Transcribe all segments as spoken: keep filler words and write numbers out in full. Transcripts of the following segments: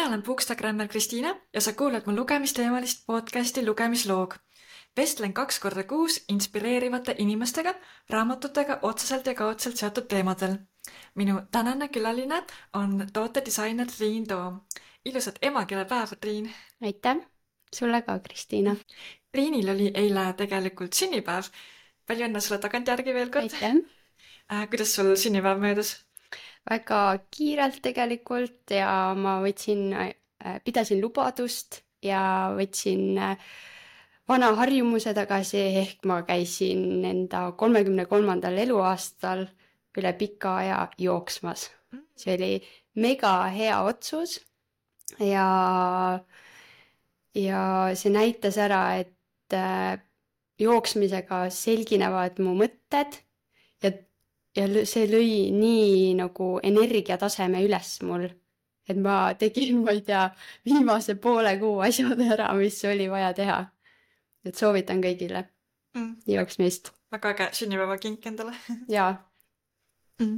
Mina olen Bookstagrammer Kristiina ja sa kuulad mu lugemisteemalist podcasti Lugemisloog. Vestlen kaks korda kuus inspireerivate inimestega raamatutega otseselt ja kaudselt seotud teemadel. Minu tänane külaline on tootedisainer Triin Toom. Ilusat emakeelepäeva, Triin! Aitäh! Sulle ka, Kristiina! Triinil oli eile tegelikult sünnipäev. Palju õnne sulle tagantjärgi veel kord! Aitäh! Äh, kuidas sul sünnipäev möödus? Väga kiirelt tegelikult ja ma võtsin, pidasin lubadust ja võtsin vana harjumuse tagasi, ehk ma käisin enda kolmekümne kolmandal eluaastal üle pika aja jooksmas. See oli mega hea otsus ja, ja see näitas ära, et jooksmisega selginevad mu mõtted ja Ja see lõi nii nagu energiataseme üles mul, et ma tegin, ma ei tea, viimase poole kuu asjad ära, mis oli vaja teha. Et soovitan kõigile mm. jooksmist. Väga äge sünnipäeva kink endale. Jaa. Mm.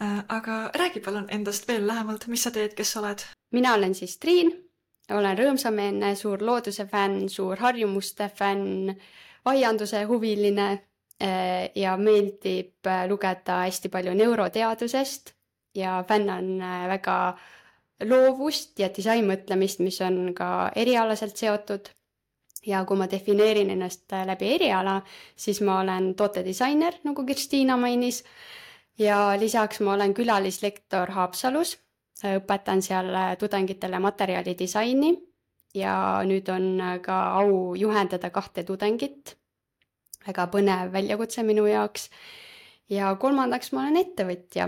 Äh, aga räägi palun endast veel lähemalt, mis sa teed, kes sa oled? Mina olen siis Triin, olen rõõmsameelne, suur looduse fänn, suur harjumuste fänn, aianduse huviline ja meeldib lugeda hästi palju neuroteadusest ja fännan väga loovust ja disainmõtlemist, mis on ka erialaselt seotud. Ja kui ma defineerin ennast läbi eriala, siis ma olen tootedisainer, nagu Kristiina mainis, ja lisaks ma olen külalislektor Haapsalus, õpetan seal tudengitele materjalidisaini ja nüüd on ka au juhendada kahte tudengit. Väga põnev väljakutse minu jaoks. Ja kolmandaks ma olen ettevõtja.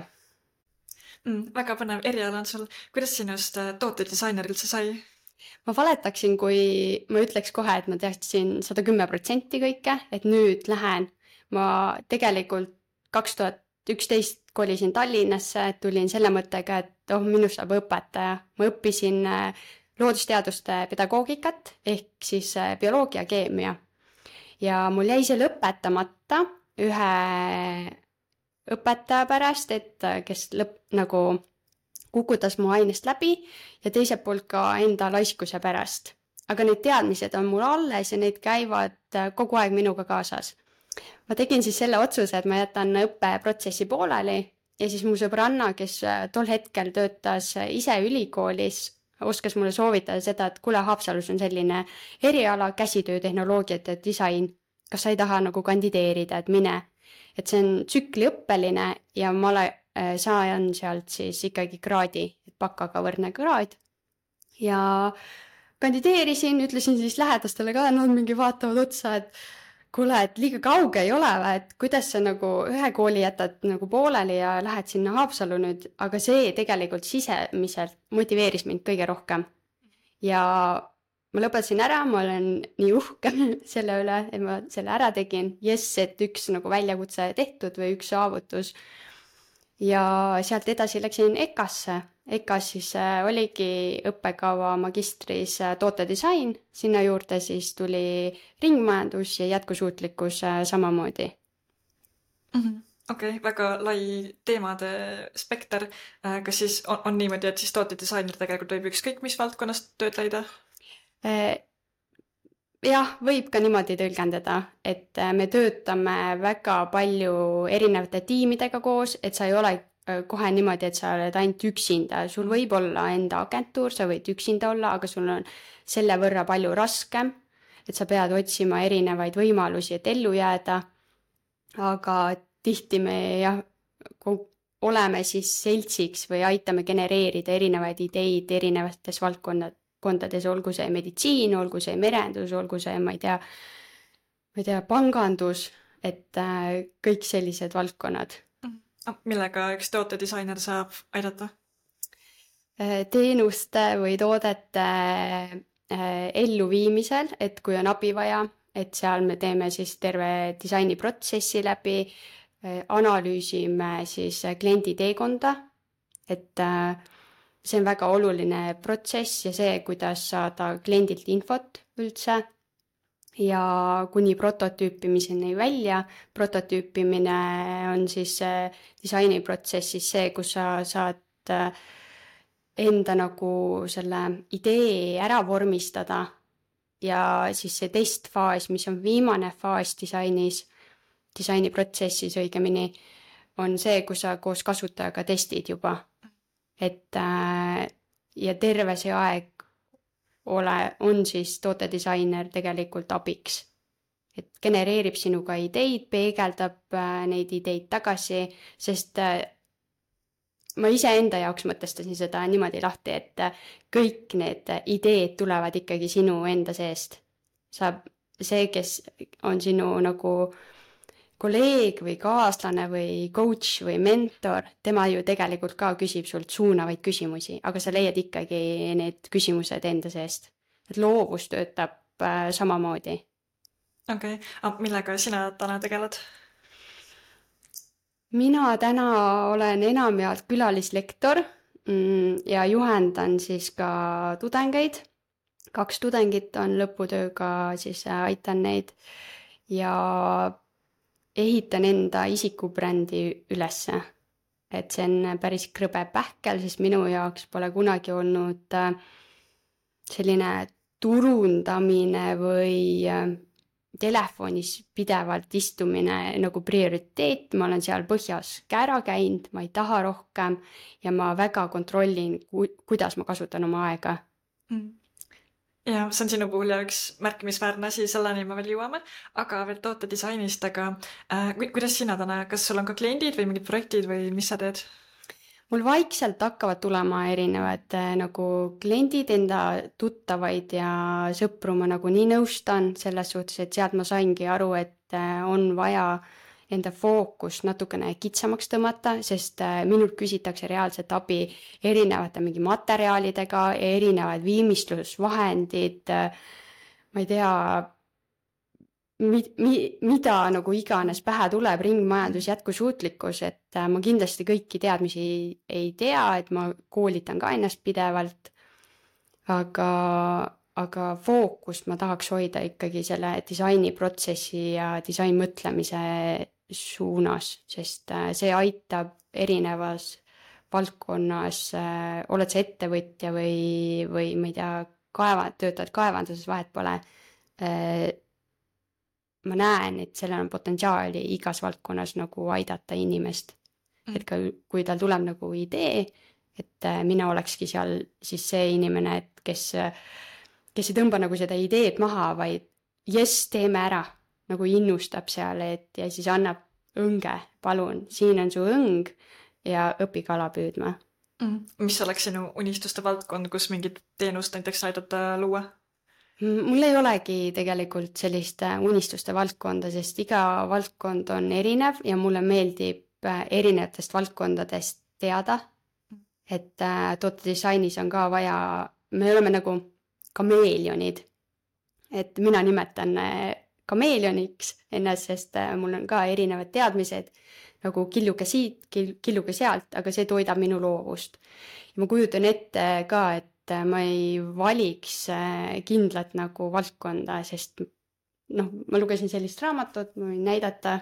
Mm, väga põnev eriala on sul. Kuidas sinust tootedisainer üldse sai? Ma valetaksin, kui ma ütleks kohe, et ma teadsin sada kümme protsenti kõike, et nüüd lähen. Ma tegelikult kaks tuhat üksteist kolisin Tallinnasse, tulin selle mõttega, et oh, minust saab õpetaja. Ma õppisin loodusteaduste pedagoogikat ehk siis bioloogia, keemia. Ja mul jäi see lõpetamata ühe õpetaja pärast, et kes lõpp, nagu kukutas mu ainest läbi ja teiselt poolt ka enda laiskuse pärast. Aga need teadmised on mul alles ja need käivad kogu aeg minuga kaasas. Ma tegin siis selle otsuse, et ma jätan õppeprotsessi pooleli ja siis mu sõbranna, kes tol hetkel töötas ise ülikoolis, oskas mulle soovitada seda, et kule Haapsalus on selline eriala, käsitöötehnoloogiat ja disain. Kas sa ei taha nagu kandideerida, et mine. Et see on tsükliõppeline ja ma saan sealt siis ikkagi kraadi, et bakaga võrdne kraad. Ja kandideerisin, ütlesin siis lähedastele ka, nad mingi vaatavad otsa, et kuule, et liiga kauge ei ole, et kuidas sa nagu ühe kooli jätad nagu pooleli ja lähed sinna Haapsalu nüüd, aga see tegelikult sisemiselt motiveeris mind kõige rohkem. Ja ma lõpetasin ära, ma olen nii uhke selle üle, et ma selle ära tegin. Jess, et üks nagu väljakutse tehtud või üks saavutus. Ja sealt edasi läksin EKAsse. EKAs siis oligi õppekava magistris tootedisain, sinna juurde siis tuli ringmajandus ja jätkusuutlikkus samamoodi. Mm-hmm. Okei, okay, väga lai teemade spekter. Kas siis on, on niimoodi, et siis tootedisainer tegelikult võib ükskõik mis valdkonnast tööd leida? Jah, võib ka niimoodi tõlgendada, et me töötame väga palju erinevate tiimidega koos, et sa ei ole kohe niimoodi, et sa oled ainult üksinda. Sul võib olla enda agentuur, sa võid üksinda olla, aga sul on selle võrra palju raskem, et sa pead otsima erinevaid võimalusi, et ellu jääda. Aga tihti me jah, oleme siis seltsiks või aitame genereerida erinevaid ideid erinevates valdkondades, olgu see meditsiin, olgu see merendus, olgu see, ma ei tea, ma ei tea, pangandus, et kõik sellised valdkonnad. Millega üks tootedisainer saab aidata? Teenuste või toodete elluviimisel, et kui on abi vaja, et seal me teeme siis terve disainiprotsessi läbi, analüüsime siis kliendi teekonda, et see on väga oluline protsess ja see, kuidas saada kliendilt infot üldse. Ja kuni prototüüpimiseni välja. Prototüüpimine on siis disainiprotsessis see, kus sa saad enda nagu selle idee ära vormistada ja siis see testfaas, mis on viimane faas disainis, disainiprotsessis õigemini, on see, kus sa koos kasutajaga testid juba. Et äh, ja terve see aeg ole, on siis tootedisainer tegelikult abiks. Et genereerib sinuga ideid, peegeldab äh, neid ideid tagasi, sest äh, ma ise enda jaoks mõtestasin seda niimoodi lahti, et äh, kõik need ideed tulevad ikkagi sinu enda seest. Sa, see, kes on sinu nagu kolleeg või kaaslane või coach või mentor, tema ju tegelikult ka küsib sult suunavaid küsimusi, aga sa leiad ikkagi need küsimused enda seest. Et loovus töötab äh, samamoodi. Okei, okay. Millega sina täna tegeled? Mina täna olen enamjaolt külalislektor ja juhendan siis ka tudengeid. Kaks tudengit on lõputööga, siis aitan neid ja ehitan enda isikubrändi ülesse. Et see on päris krõbe pähkel, sest minu jaoks pole kunagi olnud selline turundamine või telefonis pidevalt istumine nagu prioriteet, ma olen seal põhjas ka ära käinud, ma ei taha rohkem ja ma väga kontrollin, ku- kuidas ma kasutan oma aega. Mm. Ja see on sinu puhul üks märkimisväärne asi, selleni me veel jõuame, aga veel tootedisainist, aga äh, kuidas sina täna, kas sul on ka kliendid või mingid projektid või mis sa teed? Mul vaikselt hakkavad tulema erinevad nagu kliendid, enda tuttavaid ja sõpru ma nagu nii nõustan selles suhtes, et sealt ma saingi aru, et on vaja enda fookus natukene kitsamaks tõmmata, sest minult küsitakse reaalselt abi erinevate mingi materjalidega, erinevad viimistlusvahendid, ma ei tea, Mi, mi, mida nagu iganes pähe tuleb, ringmajandus, jätkusuutlikkus, et ma kindlasti kõiki teadmisi ei tea, et ma koolitan ka ennast pidevalt, aga, aga fookust ma tahaks hoida ikkagi selle disainiprotsessi ja disainmõtlemise suunas, sest see aitab erinevas valdkonnas, oled sa ettevõtja või, või ma ei tea, kaeva, töötad kaevanduses, vahet pole, ma näen, et sellel on potentsiaali igas valdkonnas nagu aidata inimest. Mm. Et ka, kui tal tuleb nagu idee, et mina olekski seal siis see inimene, et kes, kes ei tõmba nagu seda ideed maha, vaid jes, teeme ära, nagu innustab seal, et ja siis annab õnge, palun, siin on su õng ja õpi kala püüdma. Mm. Mis oleks sinu unistuste valdkond, kus mingit teenust näiteks aidata luua? Mul ei olegi tegelikult sellist unistuste valdkonda, sest iga valdkond on erinev ja mulle meeldib erinevatest valdkondadest teada, et tootedisainis on ka vaja, me oleme nagu kameelionid, et mina nimetan kameelioniks ennast, sest mul on ka erinevad teadmised, nagu killuke siit, killuke sealt, aga see toidab minu loovust. Ja ma kujutan ette ka, et ma ei valiks kindlat nagu valdkonda, sest noh, ma lugesin sellist raamatut, ma võin näidata,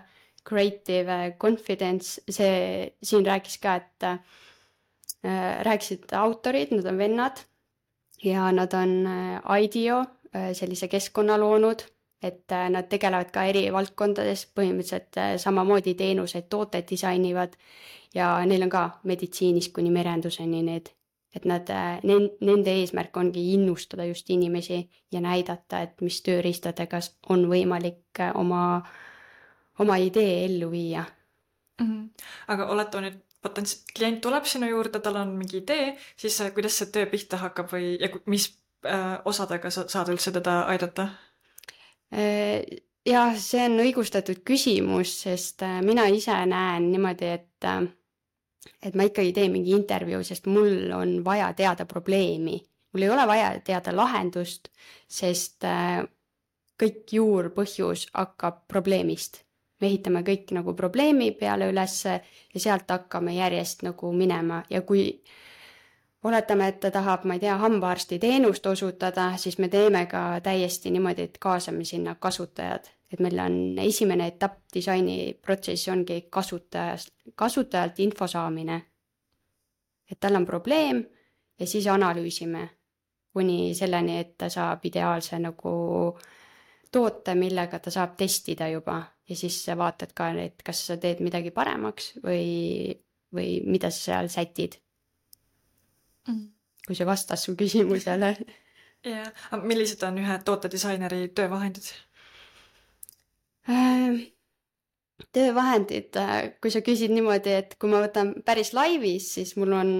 Creative Confidence, see siin rääkis ka, et äh, rääkisid autorid, nad on vennad ja nad on äh, IDEO äh, sellise keskkonna loonud, et äh, nad tegelevad ka eri valdkondades, põhimõtteliselt äh, samamoodi teenuseid, tooted disainivad ja neil on ka meditsiinist kuni merenduseni need. Et nad, nende eesmärk ongi innustada just inimesi ja näidata, et mis tööriistadega on võimalik oma, oma idee ellu viia. Mm-hmm. Aga oletame nüüd, potents- klient tuleb sinu juurde, tal on mingi idee, siis kuidas see töö pihta hakkab või ja mis äh, osadega sa saad üldse teda aidata? Ja see on õigustatud küsimus, sest mina ise näen niimoodi, et et ma ikkagi teen mingi intervjuu, sest mul on vaja teada probleemi. Mul ei ole vaja teada lahendust, sest kõik juurpõhjus hakkab probleemist. Me ehitame kõik nagu probleemi peale ülesse ja sealt hakkame järjest nagu minema. Ja kui oletame, et ta tahab, ma ei tea, hambaarsti teenust osutada, siis me teeme ka täiesti niimoodi, et kaasame sinna kasutajad. Et meil on esimene etapp disainiprotsessis ongi kasutajast, kasutajalt info saamine. Et tal on probleem ja siis analüüsime kuni selleni, et ta saab ideaalse nagu toote, millega ta saab testida juba ja siis sa vaatad ka, et kas sa teed midagi paremaks või, või mida sa seal sätid. Mm. Kui see vastas su küsimusele. Ja, millised on ühe tootedisaineri töövahendid? Töövahendid, kui sa küsid niimoodi, et kui ma võtan päris laivis, siis mul on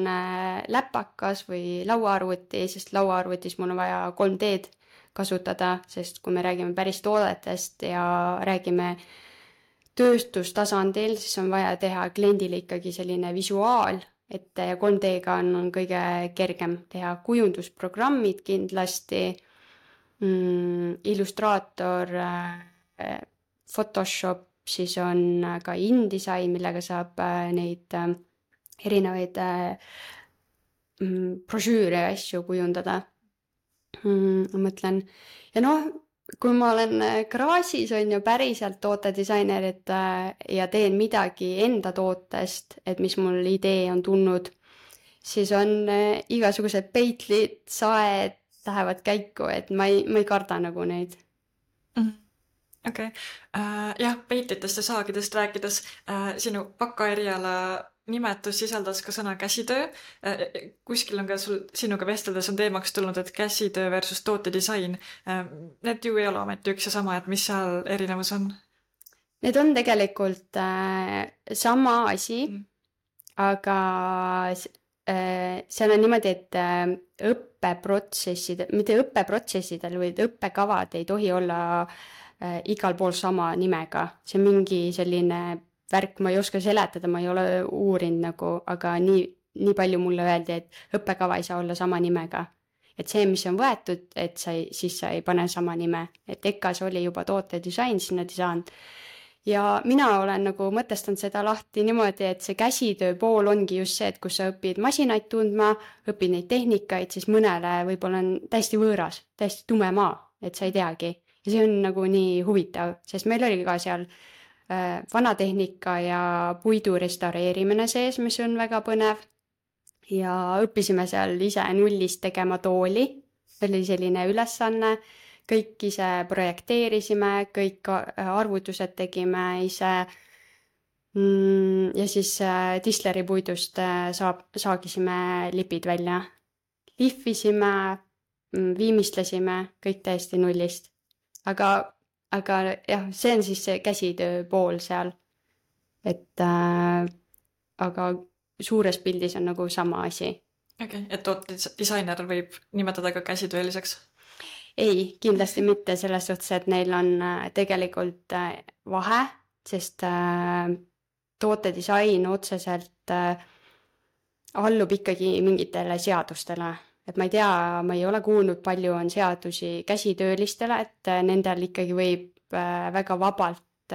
läpakas või lauaarvuti, sest lauaarvutis mul on vaja kolm D-d kasutada, sest kui me räägime päris toodetest ja räägime tööstustasandil, siis on vaja teha kliendile ikkagi selline visuaal, et kolm D-ga on, on kõige kergem teha kujundusprogrammid kindlasti, mm, Illustrator, Photoshop, siis on ka InDesign, millega saab neid erinevaid mm, brošüüre ja asju kujundada. Mm, ma mõtlen, ja noh, kui ma olen garaažis on ju päriselt tootedisainer, et ja teen midagi enda tootest, et mis mul idee on tulnud, siis on igasugused peitlid, saed lähevad käiku, et ma ei, ma ei karda nagu neid. Mm-hmm. Okei, okay. uh, jah, peitlitest ja saagidest rääkides, uh, sinu bakaeriala nimetus sisaldas ka sõna käsitöö. Uh, kuskil on ka sul, sinuga vesteldes on teemaks tulnud, et käsitöö versus tootedisain. Uh, need ju ei ole ometi üks ja sama, et mis seal erinevus on? Need on tegelikult uh, sama asi, mm. aga uh, seal on niimoodi, et uh, õppeprotsessid, mitte õppeprotsessidel, vaid õppekavad ei tohi olla Äh, igal pool sama nimega. See on mingi selline värk, ma ei oska seletada, ma ei ole uurinud nagu, aga nii, nii palju mulle öeldi, et õppekava ei saa olla sama nimega. Et see, mis on võetud, et sa ei, siis sa ei pane sama nime. Et E K A-s oli juba tootedisain, sinna disain. Ja mina olen nagu mõtestanud seda lahti niimoodi, et see käsitöö pool ongi just see, et kus sa õpid masinaid tundma, õpid neid tehnikaid, siis mõnele võib-olla on täiesti võõras, täiesti tume maa, et sa ei teagi. Ja see on nagu nii huvitav, sest meil oli ka seal äh, vanatehnika ja puidu restaureerimine sees, mis on väga põnev. Ja õppisime seal ise nullist tegema tooli. Oli selline ülesanne, kõik ise projekteerisime, kõik arvutused tegime ise. Mm, ja siis äh, Disleri puidust äh, saab, saagisime lipid välja. Lihvisime, mm, viimistlesime, kõik täiesti nullist. Aga, aga jah, see on siis see käsitöö pool seal. Et äh, aga suures pildis on nagu sama asi. Okei, okay. Et tootedisainer võib nimetada ka käsitööliseks? Ei, kindlasti mitte selles suhtes, et neil on äh, tegelikult äh, vahe, sest äh, tootedisain otseselt äh, allub ikkagi mingitele seadustele. Et ma ei tea, ma ei ole kuulnud, palju on seadusi käsitöölistele, et nendel ikkagi võib väga vabalt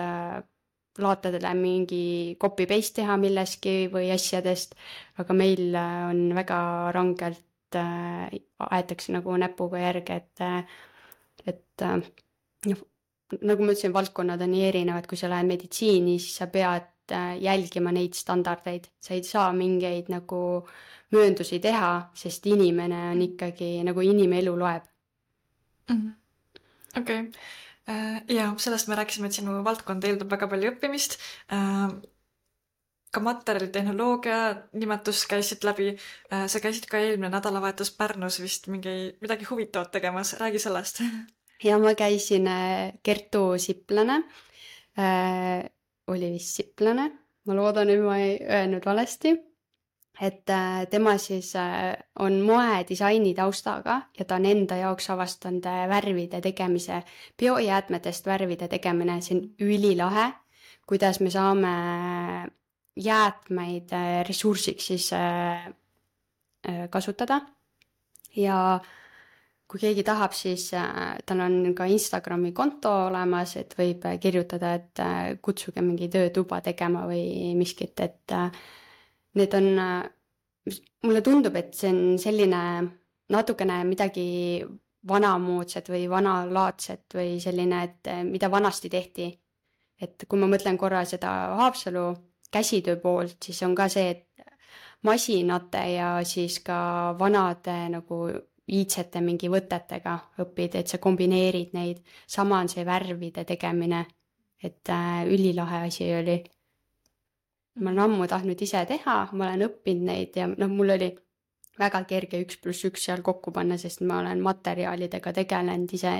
laatadele mingi copy-paste teha milleski või asjadest, aga meil on väga rangelt, aetakse nagu näpuga järge, et, et nagu ma ütlesin, valdkonnad on nii erinevad, kui sa lähed meditsiini, siis sa pead jälgima neid standardeid, sa ei saa mingeid nagu mööndusi teha, sest inimene on ikkagi nagu inimelu loeb. Mm-hmm. Okei. Okay. Ja sellest me rääkisime, et sinu valdkond eeldab väga palju õppimist. Ka materjalitehnoloogia nimetus käisid läbi. Sa käisid ka eelmine nädalavahetus Pärnus vist mingi, midagi huvitavat tegemas. Räägi sellest. Ja ma käisin Kertu Siplane. Oli vist Siplane. Ma loodan, et ma ei öelnud valesti. Et tema siis on moedisaini taustaga ja ta on enda jaoks avastanud värvide tegemise, biojäätmetest värvide tegemine, see on ülilahe, kuidas me saame jäätmeid ressursiks siis kasutada. Ja kui keegi tahab, siis tal on ka Instagrami konto olemas, et võib kirjutada, et kutsuge mingi töötuba tegema või miskit, et need on, mulle tundub, et see on selline natukene midagi vanamoodsat või vanalaadset või selline, et mida vanasti tehti. Et kui ma mõtlen korra seda Haapsalu käsitöö poolt, siis on ka see, et masinate ja siis ka vanade nagu iidsete mingi võtetega õpid, et sa kombineerid neid. Sama on see värvide tegemine, et äh, ülilahe asi oli. Ma olen ammu tahtnud ise teha, ma olen õppinud neid ja noh, mul oli väga kerge üks pluss üks seal kokku panna, sest ma olen materjalidega tegelenud, ise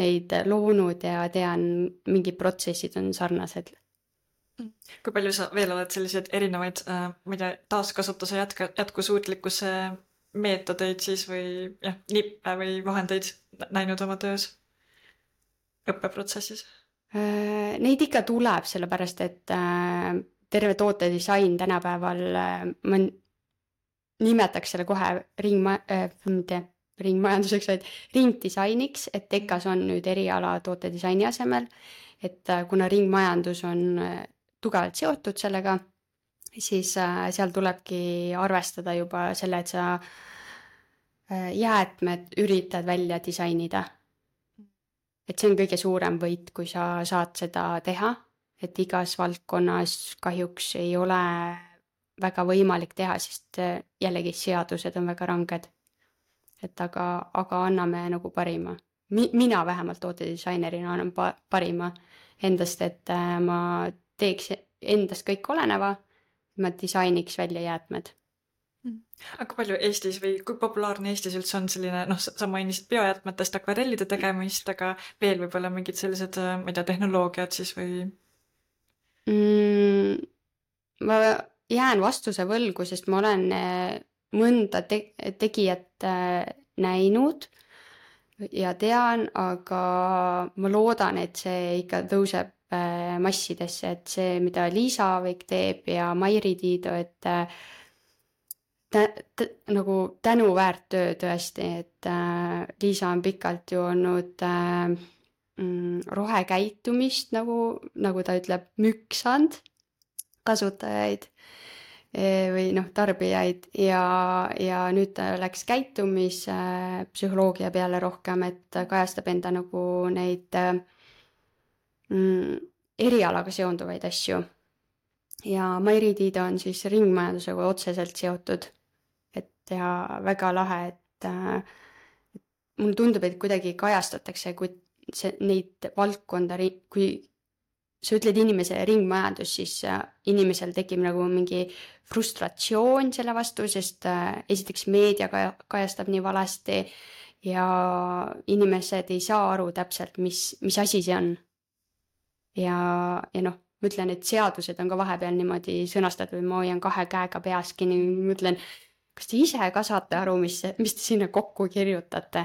neid loonud ja tean, mingid protsessid on sarnased. Kui palju sa veel oled selliseid erinevaid äh, ma ei tea, taaskasutuse jätka, jätkusuutlikkuse meetodeid siis või jah, nippe või vahendeid näinud oma töös õppeprotsessis? Äh, Neid ikka tuleb, sellepärast et äh, terve tootedisain tänapäeval, äh, ma nimetaks selle kohe ringma, äh, mitte ringmajanduseks, vaid ringdisainiks, et tekas on nüüd eriala tootedisaini asemel, et äh, kuna ringmajandus on äh, tugevalt seotud sellega, siis äh, seal tulebki arvestada juba selle, et sa äh, jäätmed üritad välja disainida. Et see on kõige suurem võit, kui sa saad seda teha, et igas valdkonnas kahjuks ei ole väga võimalik teha, sest äh, jällegi seadused on väga ranged. Et aga, aga anname nagu parima. Mi, mina vähemalt tootedisainerina annan pa, parima endast, et äh, ma teeks endast kõik oleneva, ma disainiks välja jäätmed. Aga palju Eestis või kui populaarne Eestis üldse on selline, noh, sa mainisid biojäätmetest akvarellide tegemist, aga veel võib-olla mingid sellised, ma ei tea, tehnoloogiad siis või? Mm, ma jään vastuse võlgu, sest ma olen mõnda te- tegijat näinud ja tean, aga ma loodan, et see ikka tõuseb massidesse, et see, mida Liisa Aavik teeb ja Mairi Tiido, et tä, tä, nagu tänuväärt töö tõesti, et äh, Liisa on pikalt ju olnud äh, mm, rohekäitumist, nagu, nagu ta ütleb, müksand kasutajaid e, või noh, tarbijaid ja, ja nüüd ta läks käitumispsühholoogia peale rohkem, et kajastab enda nagu neid äh, Mm, erialaga seonduvaid asju. Ja Mairi Tiido on siis ringmajandusega otseselt seotud. Et ja väga lahe, et äh, mulle tundub, et kuidagi kajastatakse, kui see, neid valdkonda, kui sa ütled inimese ringmajandus, siis äh, inimesel tekib nagu mingi frustratsioon selle vastu, sest äh, esiteks meedia kajastab nii valesti ja inimesed ei saa aru täpselt, mis, mis asi see on. Ja, ja noh, ma ütlen, et seadused on ka vahepeal niimoodi sõnastatud, ma hoian kahe käega peaski, nii mõtlen, kas te ise ka saate aru, mis, mis te sinna kokku kirjutate?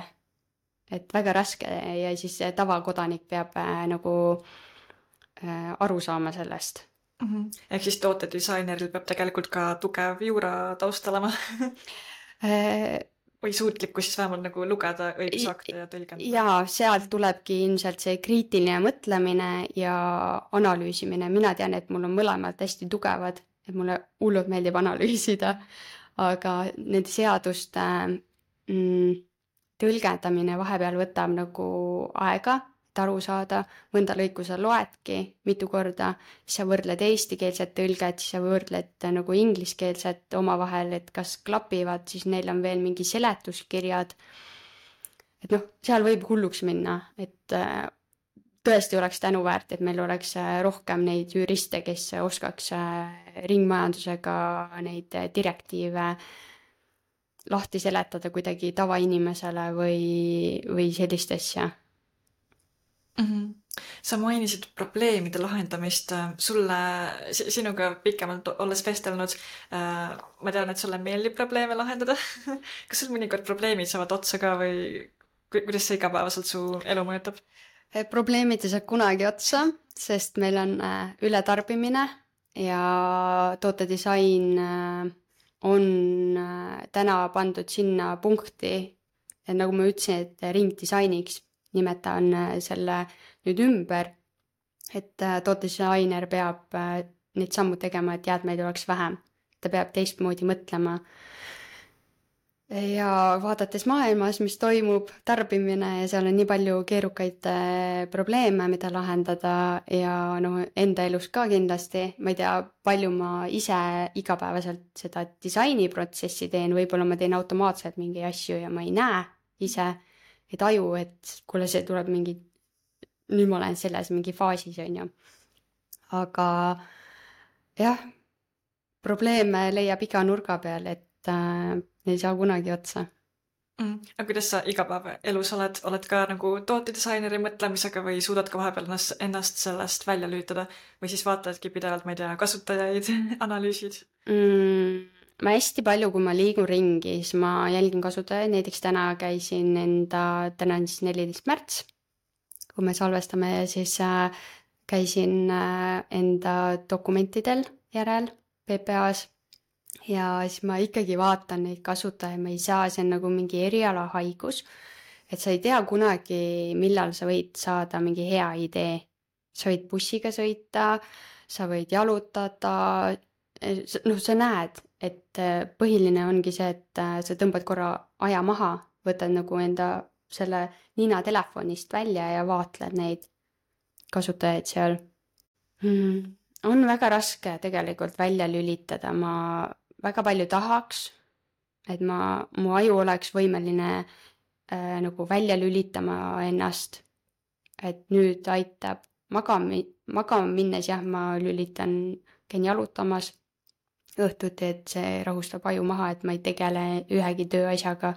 Et väga raske ja siis tavakodanik peab äh, nagu äh, aru saama sellest. Mm-hmm. Ehk siis tootedisaineril peab tegelikult ka tugev juura taust olema või suutlikku siis vähemalt nagu lugeda õigusakte ja tõlgendada. Jaa, sealt tulebki ilmselt see kriitiline mõtlemine ja analüüsimine. Mina tean, et mul on mõlemad hästi tugevad, et mulle hullult meeldib analüüsida, aga need seaduste mm, tõlgendamine vahepeal võtab nagu aega, et aru saada, mõnda lõiku sa loedki mitu korda, siis sa võrdled eestikeelset tõlget, siis sa võrdled nagu ingliskeelset omavahel, et kas klapivad, siis neil on veel mingi seletuskirjad. Et noh, seal võib hulluks minna, et tõesti oleks tänuväärt, et meil oleks rohkem neid juriste, kes oskaks ringmajandusega neid direktiive lahti seletada kuidagi tavainimesele või, või sellist asja. Mm-hmm. Sa mainisid probleemide lahendamist. Sulle, sinuga pikemalt olles vestelnud, ma tean, et sulle meeldib probleeme lahendada. Kas sul mõnikord probleemid saavad otsa ka või kuidas see igapäevaselt su elu mõjutab? Probleemid ei saa kunagi otsa, sest meil on ületarbimine ja tootedisain on täna pandud sinna punkti, et nagu ma ütlesin, et ringdisainiks nimetan selle nüüd ümber, et tootedisainer peab neid sammu tegema, et jäätmeid oleks vähem. Ta peab teistmoodi mõtlema. ja vaadates maailmas, mis toimub, tarbimine ja seal on nii palju keerukaid äh, probleeme, mida lahendada ja noh, enda elus ka kindlasti, ma ei tea, palju ma ise igapäevaselt seda disainiprotsessi teen, võib-olla ma teen automaatselt mingi asju ja ma ei näe ise, ei taju, et kuule, see tuleb mingi, nüüd ma olen selles mingi faasis, on ju. Aga jah, probleeme leiab iga nurga peal, et äh, ei saa kunagi otsa. Mm. Aga kuidas sa igapäevaelus oled? Oled ka nagu tootedisaineri mõtlemisega või suudad ka vahepeal ennast, ennast sellest välja lülitada? Või siis vaatadki pidevalt, ma ei tea, kasutajaid, analüüsid? Mm, ma hästi palju, kui ma liigun ringi, siis ma jälgin kasutajaid. Näiteks täna käisin enda, täna on siis neliteist märts, kui me salvestame, siis äh, käisin äh, enda dokumentidel järel P P A-s. Ja siis ma ikkagi vaatan neid kasutajaid, ma ei saa, see on nagu mingi erialahaigus, et sa ei tea kunagi, millal sa võid saada mingi hea idee. Sa võid bussiga sõita, sa võid jalutada, noh, sa näed, et põhiline ongi see, et sa tõmbad korra aja maha, võtad nagu enda selle nina telefonist välja ja vaatled neid kasutajaid seal. Hmm. On väga raske tegelikult välja lülitada, ma väga palju tahaks, et ma, mu aju oleks võimeline äh, nagu välja lülitama ennast, et nüüd aitab magama, magama minnes, jah, ma lülitan, käin jalutamas õhtuti, et see rahustab aju maha, et ma ei tegele ühegi tööasjaga,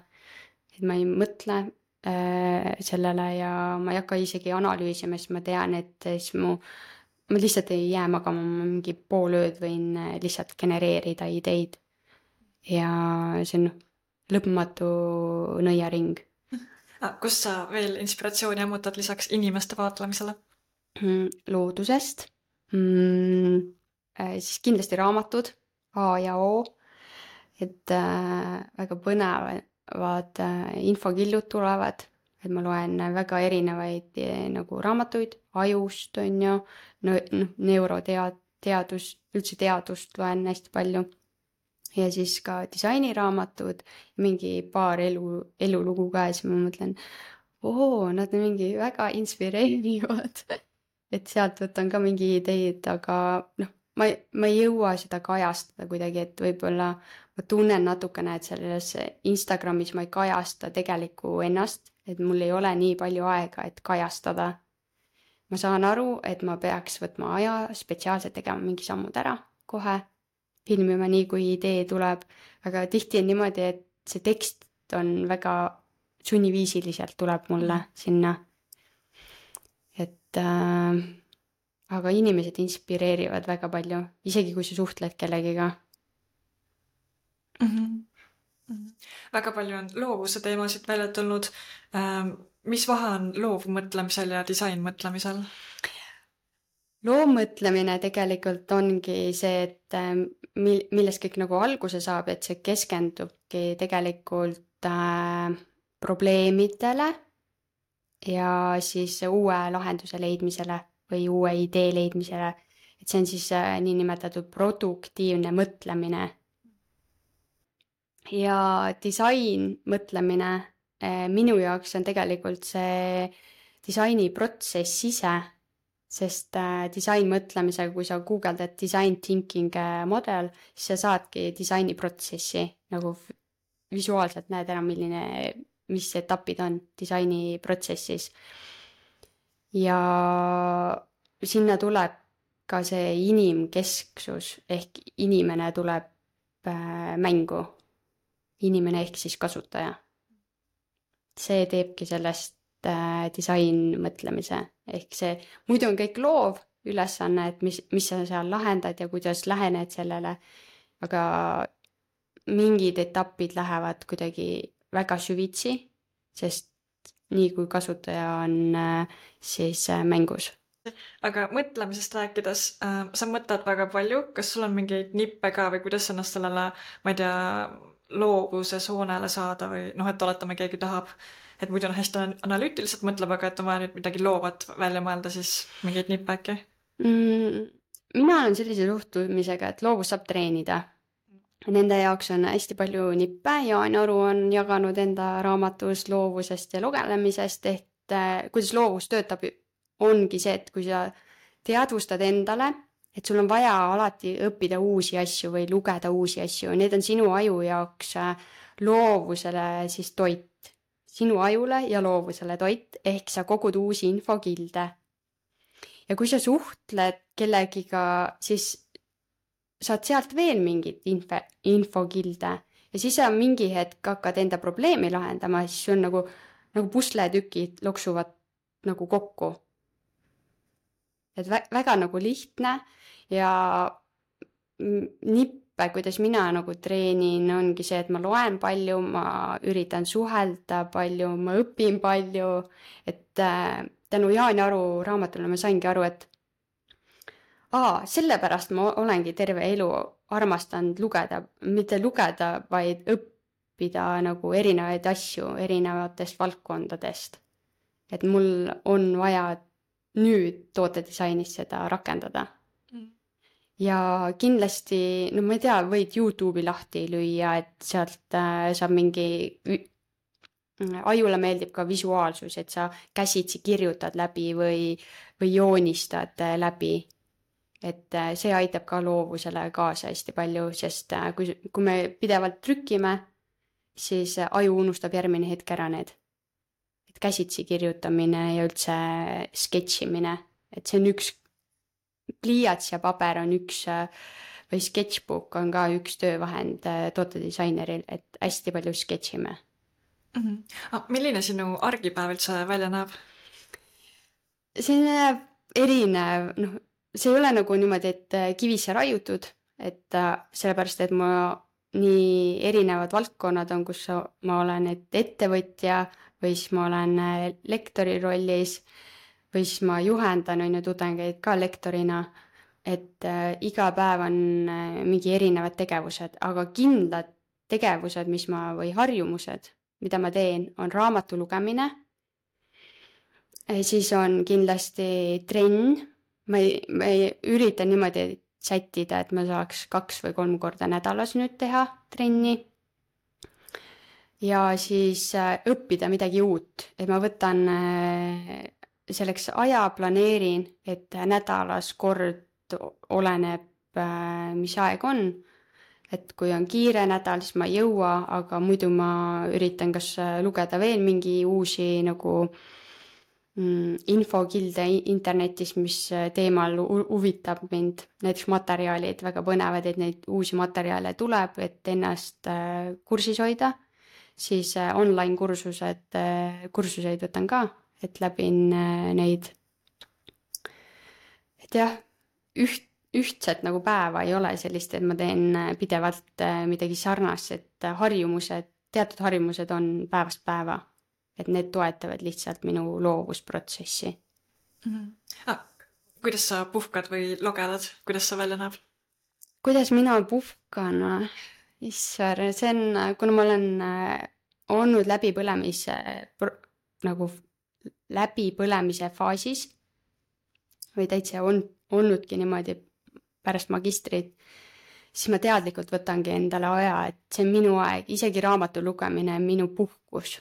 et ma ei mõtle äh, sellele ja ma ei hakka isegi analüüsima, sest ma tean, et siis mu ma lihtsalt ei jää magama, ma mingi pool ööd võin lihtsalt genereerida ideid. Ja see on lõpmatu nõiaring. Kus sa veel inspiratsiooni ammutad lisaks inimeste vaatlemisele? Loodusest. Mm, siis kindlasti raamatud A ja O. Et äh, väga põnevad äh, infokillud tulevad. Et ma loen väga erinevaid nagu raamatuid, ajust on ju, no, neuroteadust, üldse teadust loen hästi palju. Ja siis ka disainiraamatud, mingi paar elu, elulugu ka ja siis ma mõtlen, oo, nad on mingi väga inspireerivad. Et sealt võtan ka mingi ideid, aga noh, ma, ma ei jõua seda kajastada kuidagi, et võib-olla ma tunnen natukene, et selles Instagramis ma ei kajasta tegelikku ennast, et mul ei ole nii palju aega, et kajastada. Ma saan aru, et ma peaks võtma aja, spetsiaalselt tegema mingi sammud ära kohe, filmima nii, kui idee tuleb, aga tihti on niimoodi, et see tekst on väga sunniviisiliselt tuleb mulle sinna. Et äh, aga inimesed inspireerivad väga palju, isegi kui sa suhtled kellegiga. Mm-hmm. Väga palju on loovuse teemasid välja tulnud. Mis vahe on loovmõtlemisel ja disainmõtlemisel? Loovmõtlemine tegelikult ongi see, et millest kõik nagu alguse saab, et see keskendubki tegelikult äh, probleemidele ja siis uue lahenduse leidmisele või uue idee leidmisele. Et see on siis äh, nii nimetatud produktiivne mõtlemine. Ja disain mõtlemine eh, minu jaoks on tegelikult see disaini protsess ise, sest eh, disain mõtlemisega, kui sa guugeldad design thinking model, siis sa saadki disaini protsessi, nagu visuaalselt näed ära, milline, mis etapid on disaini protsessis. Ja sinna tuleb ka see inimkesksus, ehk inimene tuleb eh, mängu. Inimene ehk siis kasutaja. See teebki sellest äh, disain mõtlemise. Ehk see, muidu on kõik loov ülesanne, et mis, mis sa seal lahendad ja kuidas lähened sellele. Aga mingid etapid lähevad kuidagi väga süvitsi, sest nii kui kasutaja on äh, siis äh, mängus. Aga mõtlemisest rääkides, äh, sa mõtled väga palju. Kas sul on mingeid nippe ka või kuidas ennast sellele, ma ei tea, loovuse soonele saada või noh, et oletame keegi tahab, et muidu on hästi analüütiliselt mõtleb, aga et on vaja nüüd midagi loovat välja mõelda, siis mingeid nippe äkki? Mm, mina olen sellise suhtumisega, et loovus saab treenida. Nende jaoks on hästi palju nippe. Jaan Aru on jaganud enda raamatus loovusest ja lugemisest, et äh, kuidas loovus töötab, ongi see, et kui sa teadvustad endale, et sul on vaja alati õppida uusi asju või lugeda uusi asju, need on sinu aju jaoks loovusele siis toit, sinu ajule ja loovusele toit, ehk sa kogud uusi infokilde. Ja kui sa suhtled kellegiga, siis saad sealt veel mingit info, infokilde ja siis sa mingi hetk hakkad enda probleemi lahendama, siis see on nagu, nagu pusletükid loksuvad nagu kokku. Et vä- väga nagu lihtne ja nippe, kuidas mina nagu treenin, ongi see, et ma loen palju, ma üritan suhelda palju, ma õpin palju, et äh, tänu Jaan Aru raamatule ma saingi aru, et aa, sellepärast ma olengi terve elu armastanud lugeda, mitte lugeda, vaid õppida nagu erinevaid asju erinevatest valdkondadest. Et mul on vaja nüüd tootedisainis seda rakendada. Mm. Ja kindlasti, no ma ei tea, võid YouTube'i lahti lüüa, et sealt äh, saab mingi, ajule meeldib ka visuaalsus, et sa käsitsi kirjutad läbi või, või joonistad äh, läbi. Et äh, see aitab ka loovusele kaasa hästi palju, sest äh, kui, kui me pidevalt trükkime, siis äh, aju unustab järgmine hetk ära need. Käsitsi kirjutamine ja üldse sketšimine, et see on üks, pliiats ja paber on üks, või sketšbook on ka üks töövahend tootedisaineril, et hästi palju sketšime. Mm-hmm. Ah, milline sinu argipäev üldse välja näeb? See näeb erinev, noh, see ei ole nagu niimoodi, et kivisse raiutud, et sellepärast, et ma nii erinevad valdkonnad on, kus ma olen et ettevõtja, või siis ma olen lektori rollis, või siis ma juhendan on ju tudengeid ka lektorina, et äh, iga päev on äh, mingi erinevad tegevused, aga kindlad tegevused, mis ma, või harjumused, mida ma teen, on raamatu lugemine, siis on kindlasti trenn, ma ei, ma ei ürita niimoodi sättida, et ma saaks kaks või kolm korda nädalas nüüd teha trenni. Ja siis õppida midagi uut, et ma võtan selleks aja, planeerin, et nädalas kord oleneb, mis aeg on. Et kui on kiire nädal, siis ma ei jõua, aga muidu ma üritan kas lugeda veel mingi uusi nagu infokilde internetis, mis teemal huvitab mind. Näiteks materjalid väga põnevad, et neid uusi materjale tuleb, et ennast kursis hoida. Siis online kursused, kursuseid võtan ka, et läbin neid. Et jah, üht, ühtset nagu päeva ei ole sellist, et ma teen pidevalt midagi sarnast, et harjumused, teatud harjumused on päevast päeva, et need toetavad lihtsalt minu loovusprotsessi. Mm-hmm. Ah, kuidas sa puhkad või logelad? Kuidas sa välja näeb? Kuidas mina puhkan? Issar, see on, kuna ma olen olnud läbipõlemise, nagu läbipõlemise faasis või täitsa on, olnudki niimoodi pärast magistrit, siis ma teadlikult võtangi endale aja, et see on minu aeg, isegi raamatu lugemine on minu puhkus.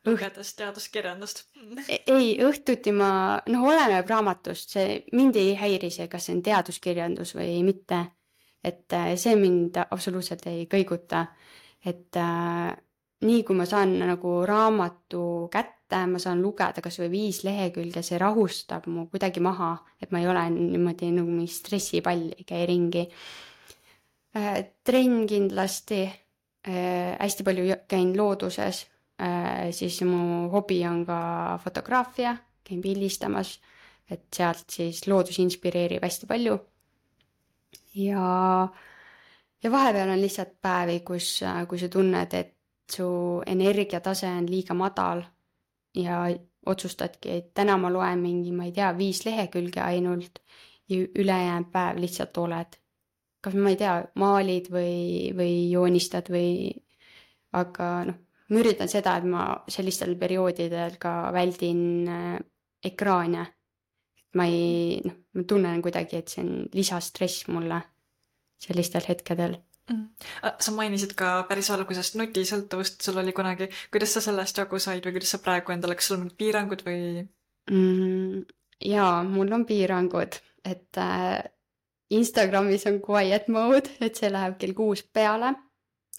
Lugedes teaduskirjandust. Ei, õhtuti ma, noh, oleneb raamatust, see mind ei häiri see, kas see on teaduskirjandus või mitte. Et see mind absoluutselt ei kõiguta, et äh, nii kui ma saan nagu raamatu kätte, ma saan lugeda kas või viis lehekülge, see rahustab mu kuidagi maha, et ma ei ole niimoodi nagu mingi stressipall, käi ringi. Äh, trenn kindlasti, äh, hästi palju käin looduses, äh, siis mu hobi on ka fotograafia, käin pildistamas, et sealt siis loodus inspireerib hästi palju. Ja, ja vahepeal on lihtsalt päevi, kus, kui sa tunned, et su energiatase on liiga madal ja otsustadki, et täna ma loen mingi, ma ei tea, viis lehekülge ainult ja ülejäänud päev lihtsalt oled. Kas ma ei tea, maalid või, või joonistad või, aga noh, ma üritan seda, et ma sellistel perioodidel ka väldin ekraane. Ma ei, noh, ma tunnen kuidagi, et see on lisastress mulle sellistel hetkedel. Mm. Ah, sa mainisid ka päris algusest nutisõltuvust, sul oli kunagi, kuidas sa sellest jagu said või kuidas sa praegu endale, kas sul on mingid piirangud või? Mm, jaa, mul on piirangud, et äh, Instagramis on quiet mode, et see läheb kell kuus peale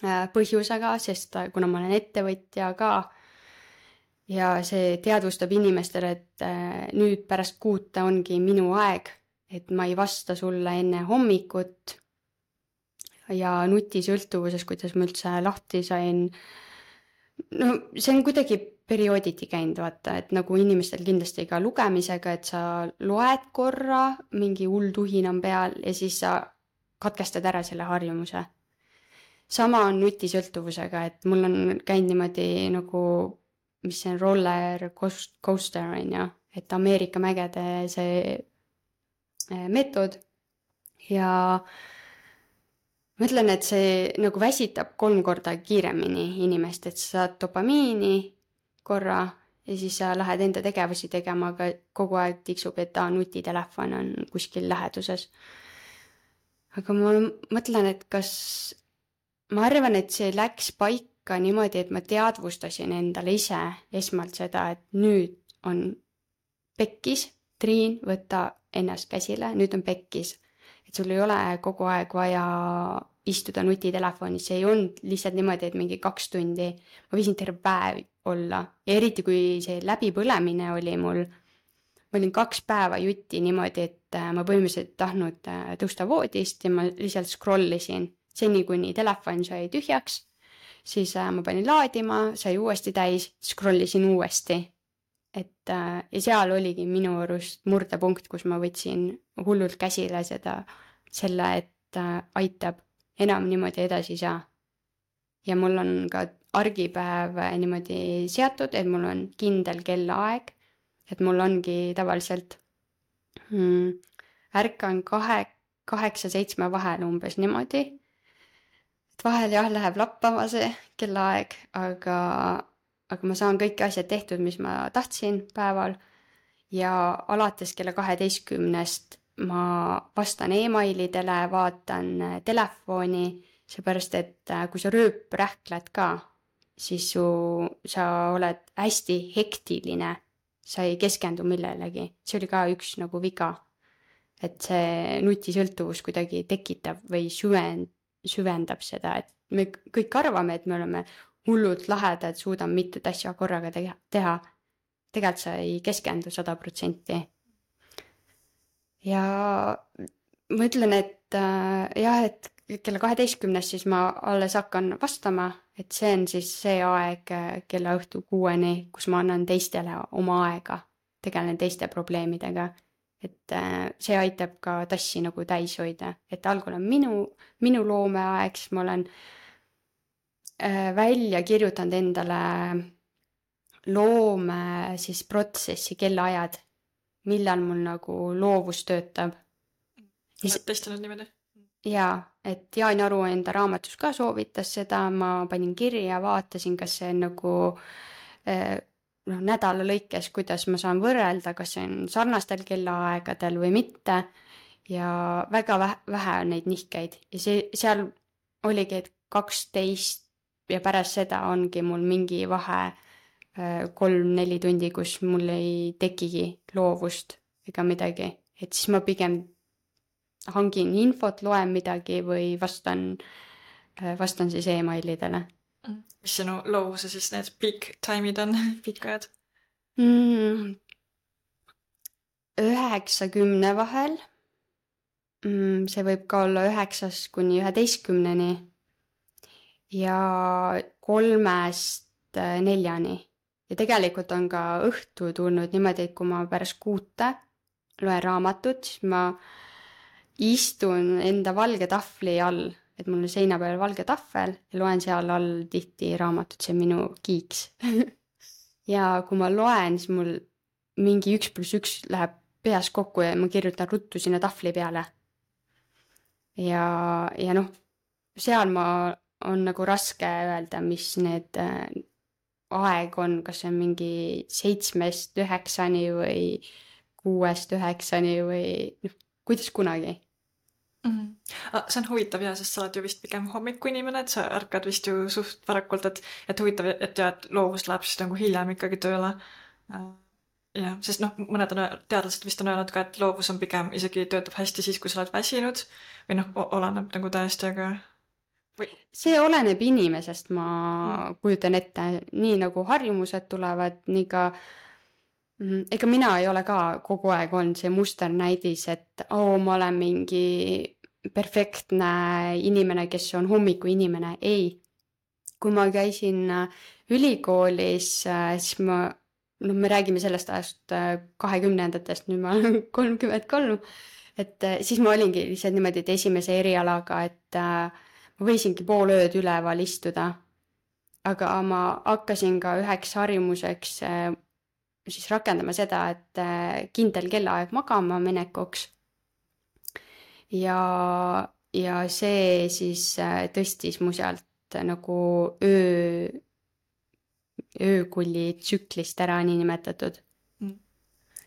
äh, põhjusega, sest äh, kuna ma olen ettevõtja ka ja see teadvustab inimestele, et äh, nüüd pärast kuute ongi minu aeg, et ma ei vasta sulle enne hommikut ja nutisõltuvuses, kuidas ma üldse lahti sain. No see on kuidagi periooditi käinud, vaata, et nagu inimestel kindlasti ka lugemisega, et sa loed korra, mingi hull tuhin on peal ja siis sa katkestad ära selle harjumuse. Sama on nutisõltuvusega, et mul on käinud niimoodi nagu, mis see on roller coaster on ju, et Ameerika mägede see meetod ja ma ütlen, et see nagu väsitab kolm korda kiiremini inimest, et sa saad dopamiini korra ja siis sa lähed enda tegevusi tegema, aga kogu aeg tiksub, et aa, nutitelefon on kuskil läheduses. Aga ma mõtlen, et kas, ma arvan, et see läks paika niimoodi, et ma teadvustasin endale ise esmalt seda, et nüüd on pekkis, Triin, võta ennast käsile, nüüd on pekkis. Et sul ei ole kogu aeg vaja istuda nutitelefonis, see ei olnud lihtsalt niimoodi, et mingi kaks tundi, ma võisin terve päev olla. Ja eriti kui see läbipõlemine oli mul, ma olin kaks päeva jutti niimoodi, et ma põhimõtteliselt tahtnud tõusta voodist ja ma lihtsalt scrollisin seni, kuni telefon sai tühjaks, siis ma panin laadima, sai uuesti täis, scrollisin uuesti. Et ja seal oligi minu arust murdepunkt, kus ma võtsin hullult käsile seda, selle, et aitab, enam niimoodi edasi ei saa. Ja mul on ka argipäev niimoodi seatud, et mul on kindel kellaaeg, et mul ongi tavaliselt hmm, ärkan kahe, kaheksa, seitsme vahel umbes niimoodi. Et vahel jah, läheb lappama see kellaaeg, aga aga ma saan kõik asjad tehtud, mis ma tahtsin päeval ja alates kella kaheteistkümnest ma vastan emailidele, vaatan telefoni, seepärast, et kui sa rööprähkled ka, siis su, sa oled hästi hektiline, sa ei keskendu millelegi. See oli ka üks nagu viga, et see nutisõltuvus kuidagi tekitab või süvend, süvendab seda, et me kõik arvame, et me oleme hullult lahedad, suudan mitut asja korraga teha. Tegelikult sa ei keskendu sada protsenti. Ja ma ütlen, et äh, jah, et kella kaheteistkümnest siis ma alles hakkan vastama, et see on siis see aeg kella õhtu kuueni, kus ma annan teistele oma aega, tegelen teiste probleemidega. Et äh, see aitab ka tassi nagu täis hoida, et algul on minu, minu loomeaeg, siis ma olen välja kirjutanud endale loome siis protsessi kellaajad, millal mul nagu loovus töötab. Oled testinud niimoodi? Jaa, et Jaan Aru enda raamatus ka soovitas seda, ma panin kirja, vaatasin, kas see on nagu no, nädala lõikes, kuidas ma saan võrrelda, kas see on sarnastel kellaaegadel või mitte ja väga vähe on neid nihkeid ja see, seal oligi, et kaksteist ja pärast seda ongi mul mingi vahe kolm-neli tundi, kus mul ei tekigi loovust ega midagi. Et siis ma pigem hangin infot, loen midagi või vastan, vastan siis emailidele. Mis sinu loovuse siis need peak time'id on, pikajad? Mm, üheksakümne vahel. Mm, see võib ka olla üheksas kuni üheteistkümneni. Ja kolmest neljani. Ja tegelikult on ka õhtu tulnud niimoodi, et kui ma pärast kuute loen raamatut, siis ma istun enda valge tahvli all, et mul on seina peal valge tahvel ja loen seal all tihti raamatut, see on minu kiiks. Ja kui ma loen, siis mul mingi üks pluss üks läheb peas kokku ja ma kirjutan ruttu sinna tahvli peale. Ja, ja noh, seal ma on nagu raske öelda, mis need äh, aeg on, kas see on mingi seitsmest üheksani või kuuest üheksani või noh, kuidas kunagi. Mm-hmm. Ah, see on huvitav ja, sest sa oled ju vist pigem hommikuinimene, et sa ärkad vist ju suht varakult, et, et huvitav, et ja, et loovus läheb siis nagu hiljem ikkagi tööle. Äh, jah, sest noh, mõned on, öel- teadlased vist on öelnud ka, et loovus on pigem isegi töötab hästi siis, kui sa oled väsinud või noh, o- oleneb nagu täiesti, aga või See oleneb inimesest, ma mm. kujutan ette, nii nagu harjumused tulevad, nii ka mm, ega mina ei ole ka kogu aeg olnud see musternäidis, et oo, ma olen mingi perfektne inimene, kes on hommikuinimene. Ei. Kui ma käisin äh, ülikoolis, äh, siis ma, noh, me räägime sellest ajast äh, kahekümnendatest, nüüd ma olen kolmkümmend kolm, et äh, siis ma olingi lihtsalt niimoodi, et esimese erialaga, et äh, ma võisingi pool ööd üleval istuda, aga ma hakkasin ka üheks harjumuseks äh, siis rakendama seda, et äh, kindel kellaaeg magama minekuks. Ja, ja see siis äh, tõstis mu sealt nagu öö, öökulli tsüklist ära niinimetatud. Mm.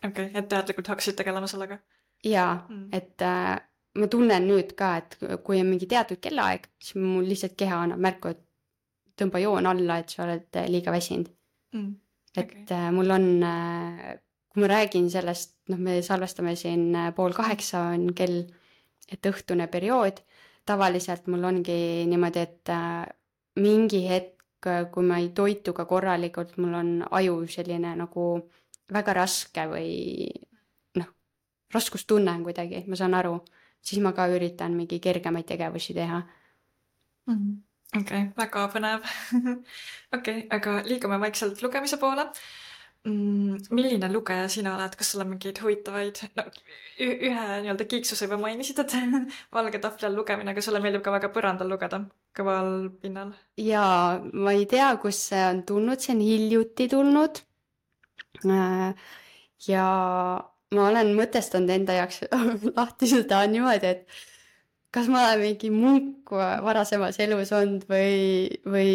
okei, et teadlikult hakkasid tegelema sellega? Jaa, Mm. et äh, ma tunnen nüüd ka, et kui on mingi teatud kellaaeg, siis mul lihtsalt keha annab märku, et tõmba joon alla, et sa oled äh, liiga väsinud. Mm. Et okei. äh, mul on, äh, kui ma räägin sellest, noh, me salvestame siin äh, pool kaheksa on kell, et õhtune periood, tavaliselt mul ongi niimoodi, et äh, mingi hetk, äh, kui ma ei toitu ka korralikult, mul on aju selline nagu väga raske või noh, raskustunne on kuidagi, ma saan aru, siis ma ka üritan mingi kergemaid tegevusi teha. Mhm. okei, väga põnev. okei, aga liigume vaikselt lugemise poole. Mm, milline lugeja sina oled, kas sul on mingeid huvitavaid, no ü- ühe nii-öelda kiiksuse juba mainisid, et valge tahvli all lugemine, aga sulle meeldib ka väga põrandal lugeda, kõval pinnal. Ja ma ei tea, kus see on tulnud, see on hiljuti tulnud. Äh, Ja ma olen mõtestanud enda jaoks lahti seda niimoodi, et kas ma olen mingi munk varasemas elus olnud või, või,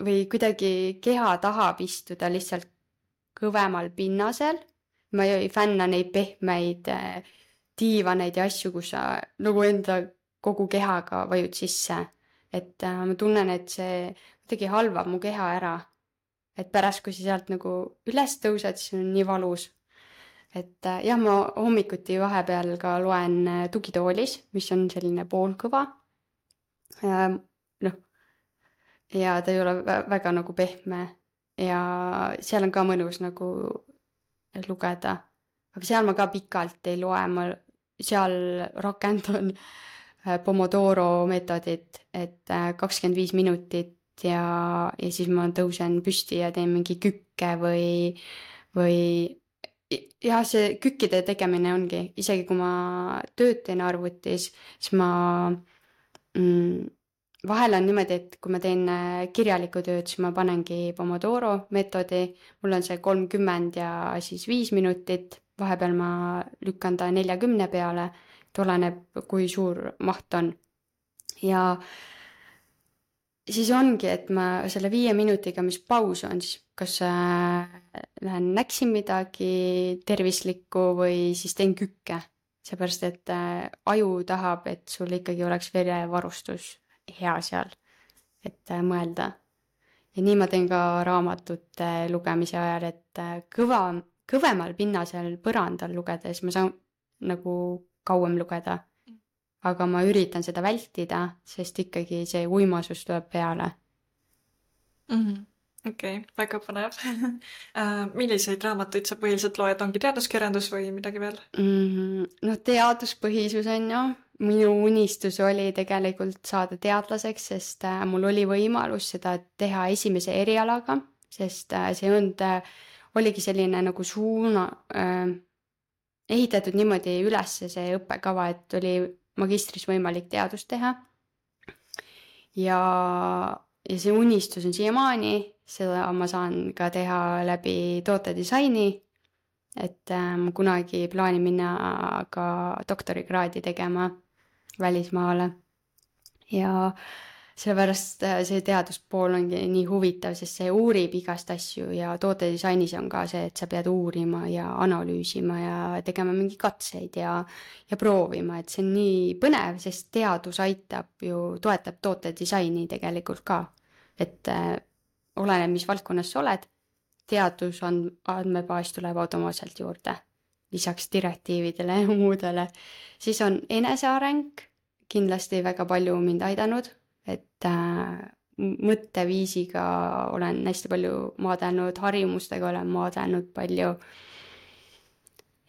või kuidagi keha tahab istuda lihtsalt kõvemal pinnasel. Ma ei fänna neid pehmeid äh, diivaneid ja asju, kus sa nagu enda kogu kehaga vajud sisse. Et äh, ma tunnen, et see kuidagi halvab mu keha ära. Et pärast, kui sa sealt nagu üles tõused, siis on nii valus. Et äh, jah, ma hommikuti vahepeal ka loen äh, tugitoolis, mis on selline poolkõva. Ähm, noh, ja ta ei ole vä- väga nagu pehme ja seal on ka mõnus nagu lugeda. Aga seal ma ka pikalt ei loe, ma seal rakendan äh, Pomodoro meetodit, et äh, kakskümmend viis minutit ja, ja siis ma tõusen püsti ja teen mingi kükke või, või ja see kükkide tegemine ongi, isegi kui ma tööd teen arvutis, siis ma mm, vahel on niimoodi, et kui ma teen äh, kirjalikku tööd, siis ma panengi Pomodoro meetodi, mul on see kolmkümmend ja siis viis minutit, vahepeal ma lükkan ta neljakümne peale, et oleneb, kui suur maht on. Ja siis ongi, et ma selle viie minutiga, mis paus on, siis kas äh, lähen näksin midagi tervislikku või siis teen kükke. Seepärast, et äh, aju tahab, et sul ikkagi oleks verevarustus hea seal, et äh, mõelda. Ja nii ma teen ka raamatute lugemise ajal, et äh, kõva, kõvemal pinnasel põrandal lugedes ma saan nagu kauem lugeda. Aga ma üritan seda vältida, sest ikkagi see uimasus tuleb peale. Mhm. okei, väga põnev. Äh, milliseid raamatuid sa põhiliselt loed, ongi teaduskirjandus või midagi veel? Mm, no teaduspõhisus on ju, minu unistus oli tegelikult saada teadlaseks, sest äh, mul oli võimalus seda teha esimese erialaga, sest äh, see on, äh, oligi selline nagu suuna äh, ehitatud niimoodi üles see õppekava, et oli magistris võimalik teadust teha. Ja, ja see unistus on siiamaani, seda ma saan ka teha läbi tootedisaini, et äh, ma kunagi plaanin minna ka doktorikraadi tegema välismaale. Ja sellepärast äh, see teaduspool ongi nii huvitav, sest see uurib igast asju ja tootedisainis on ka see, et sa pead uurima ja analüüsima ja tegema mingi katseid ja, ja proovima, et see on nii põnev, sest teadus aitab ju, toetab tootedisaini tegelikult ka. Et äh, oleneb, mis valdkonnas sa oled, teadus on, andmebaas tuleb automaatselt juurde, lisaks direktiividele ja muudele. Siis on eneseareng, kindlasti väga palju mind aidanud, et äh, mõtteviisiga olen hästi palju maadanud, harjumustega olen maadanud palju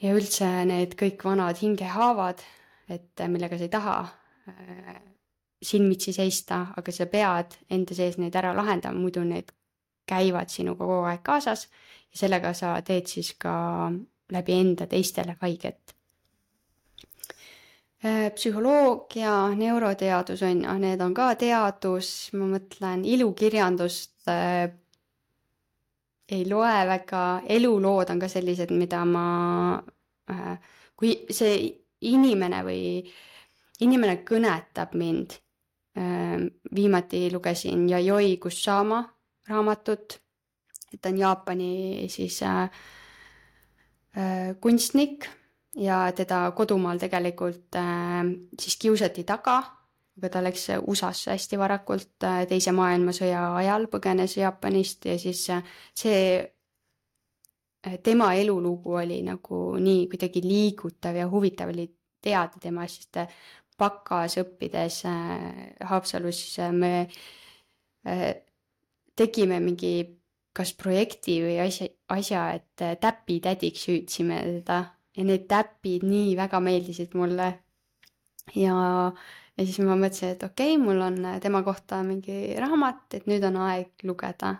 ja üldse need kõik vanad hingehaavad, et millega sa ei taha äh, silmitsi seista, aga sa pead enda sees neid ära lahendama, muidu need käivad sinuga kogu aeg kaasas ja sellega sa teed siis ka läbi enda teistele haiget. Psühholoogia, neuroteadus on, need on ka teadus, ma mõtlen, ilukirjandust äh, ei loe väga, elulood on ka sellised, mida ma, äh, kui see inimene või inimene kõnetab mind, äh, viimati lugesin Yayoi Kusama raamatut, et on Jaapani siis äh, äh, kunstnik, ja teda kodumaal tegelikult äh, siis kiusati taga, aga ta läks U S A-sse hästi varakult äh, teise maailmasõja ajal, põgenes Jaapanist ja siis äh, see äh, tema elulugu oli nagu nii kuidagi liigutav ja huvitav oli teada tema, sest äh, bakas õppides äh, Haapsalus äh, me äh, tegime mingi kas projekti või asja, asja et äh, täpitädiks hüüdsime teda. Ja need täpid nii väga meeldisid mulle. Ja, ja siis ma mõtlesin, et okei, okay, mul on tema kohta mingi raamat, et nüüd on aeg lugeda.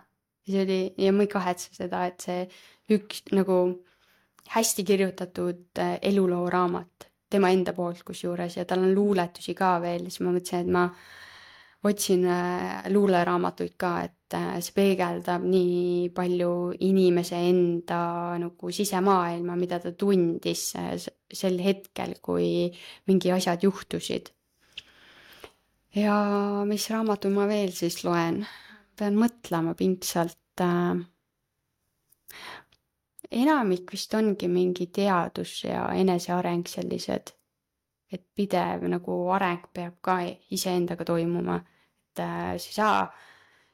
Ja, see oli, ja ma ei kahetse seda, et see üks nagu hästi kirjutatud eluloo raamat tema enda poolt kusjuures ja tal on luuletusi ka veel. Siis ma mõtlesin, et ma otsin luuleraamatuid ka, et see peegeldab nii palju inimese enda nagu sisemaailma, mida ta tundis sel hetkel, kui mingi asjad juhtusid. Ja mis raamatu ma veel siis loen? Pean mõtlema pingsalt. Enamik vist ongi mingi teadus ja eneseareng sellised, et pidev nagu areng peab ka iseendaga toimuma. Et sa ei saa,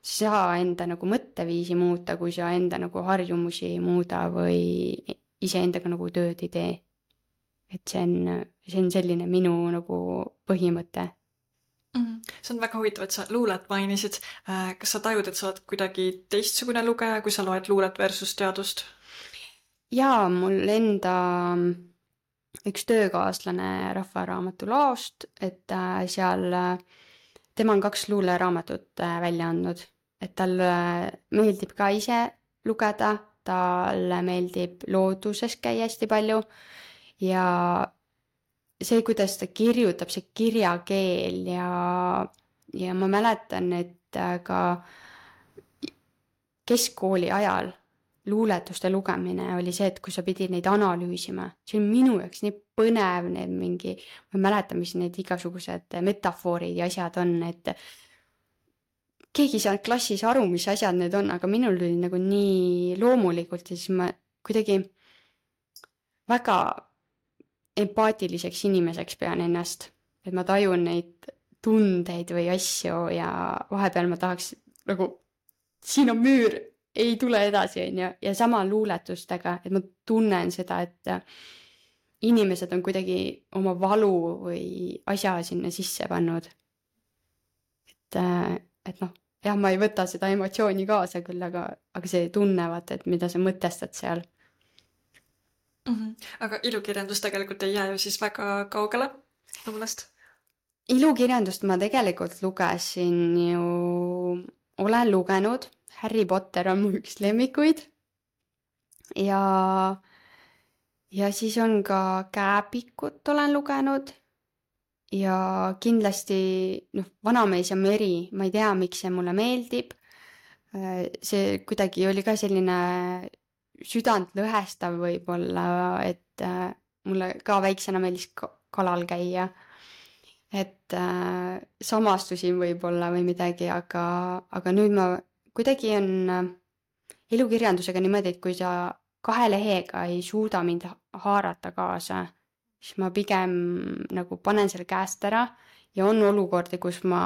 sa ei saa enda nagu mõtteviisi muuta, kui sa enda nagu harjumusi ei muuda või iseendaga nagu tööd ei tee. Et see on, see on selline minu nagu põhimõte. Mm-hmm. See on väga huvitav, et sa luulet mainisid. Kas sa tajud, et sa oled kuidagi teistsugune lugeja, kui sa loed luulet versus teadust? Jaa, mul enda üks töökaaslane Rahvaraamatu laost, et seal tema on kaks luuleraamatut välja andnud, et tal meeldib ka ise lugeda, tal meeldib looduses käia hästi palju ja see, kuidas ta kirjutab, see kirjakeel ja, ja ma mäletan, et ka keskkooli ajal luuletuste lugemine oli see, et kui sa pidid neid analüüsima, see on minu jaoks nii põnev, need mingi, ma mäletan, mis need igasugused metafoorid ja asjad on, et keegi ei saanud klassis aru, mis asjad need on, aga minul oli nagu nii loomulikult ja siis ma kuidagi väga empaatiliseks inimeseks pean ennast, et ma tajun neid tundeid või asju ja vahepeal ma tahaks nagu, siin on müür, ei tule edasi, on ju, ja sama luuletustega, et ma tunnen seda, et inimesed on kuidagi oma valu või asja sinna sisse pannud. Et, et noh, jah, ma ei võta seda emotsiooni kaasa küll, aga, aga see tunnevad, et mida sa mõtestad seal. Mm-hmm. Aga ilukirjandus tegelikult ei jää ju siis väga kaugele luulest? Ilukirjandust ma tegelikult lugesin ju, olen lugenud, Harry Potter on mu üks lemmikuid ja, ja siis on ka Kääpikut olen lugenud ja kindlasti noh, Vanamees ja meri, ma ei tea, miks see mulle meeldib. See kuidagi oli ka selline südant lõhestav võib-olla, et mulle ka väiksena meeldis kalal käia et äh, samastusin võib-olla või midagi, aga, aga nüüd ma kuidagi on äh, elukirjandusega niimoodi, et kui sa kahe lehega ei suuda mind ha- haarata kaasa, siis ma pigem nagu panen selle käest ära ja on olukordi, kus ma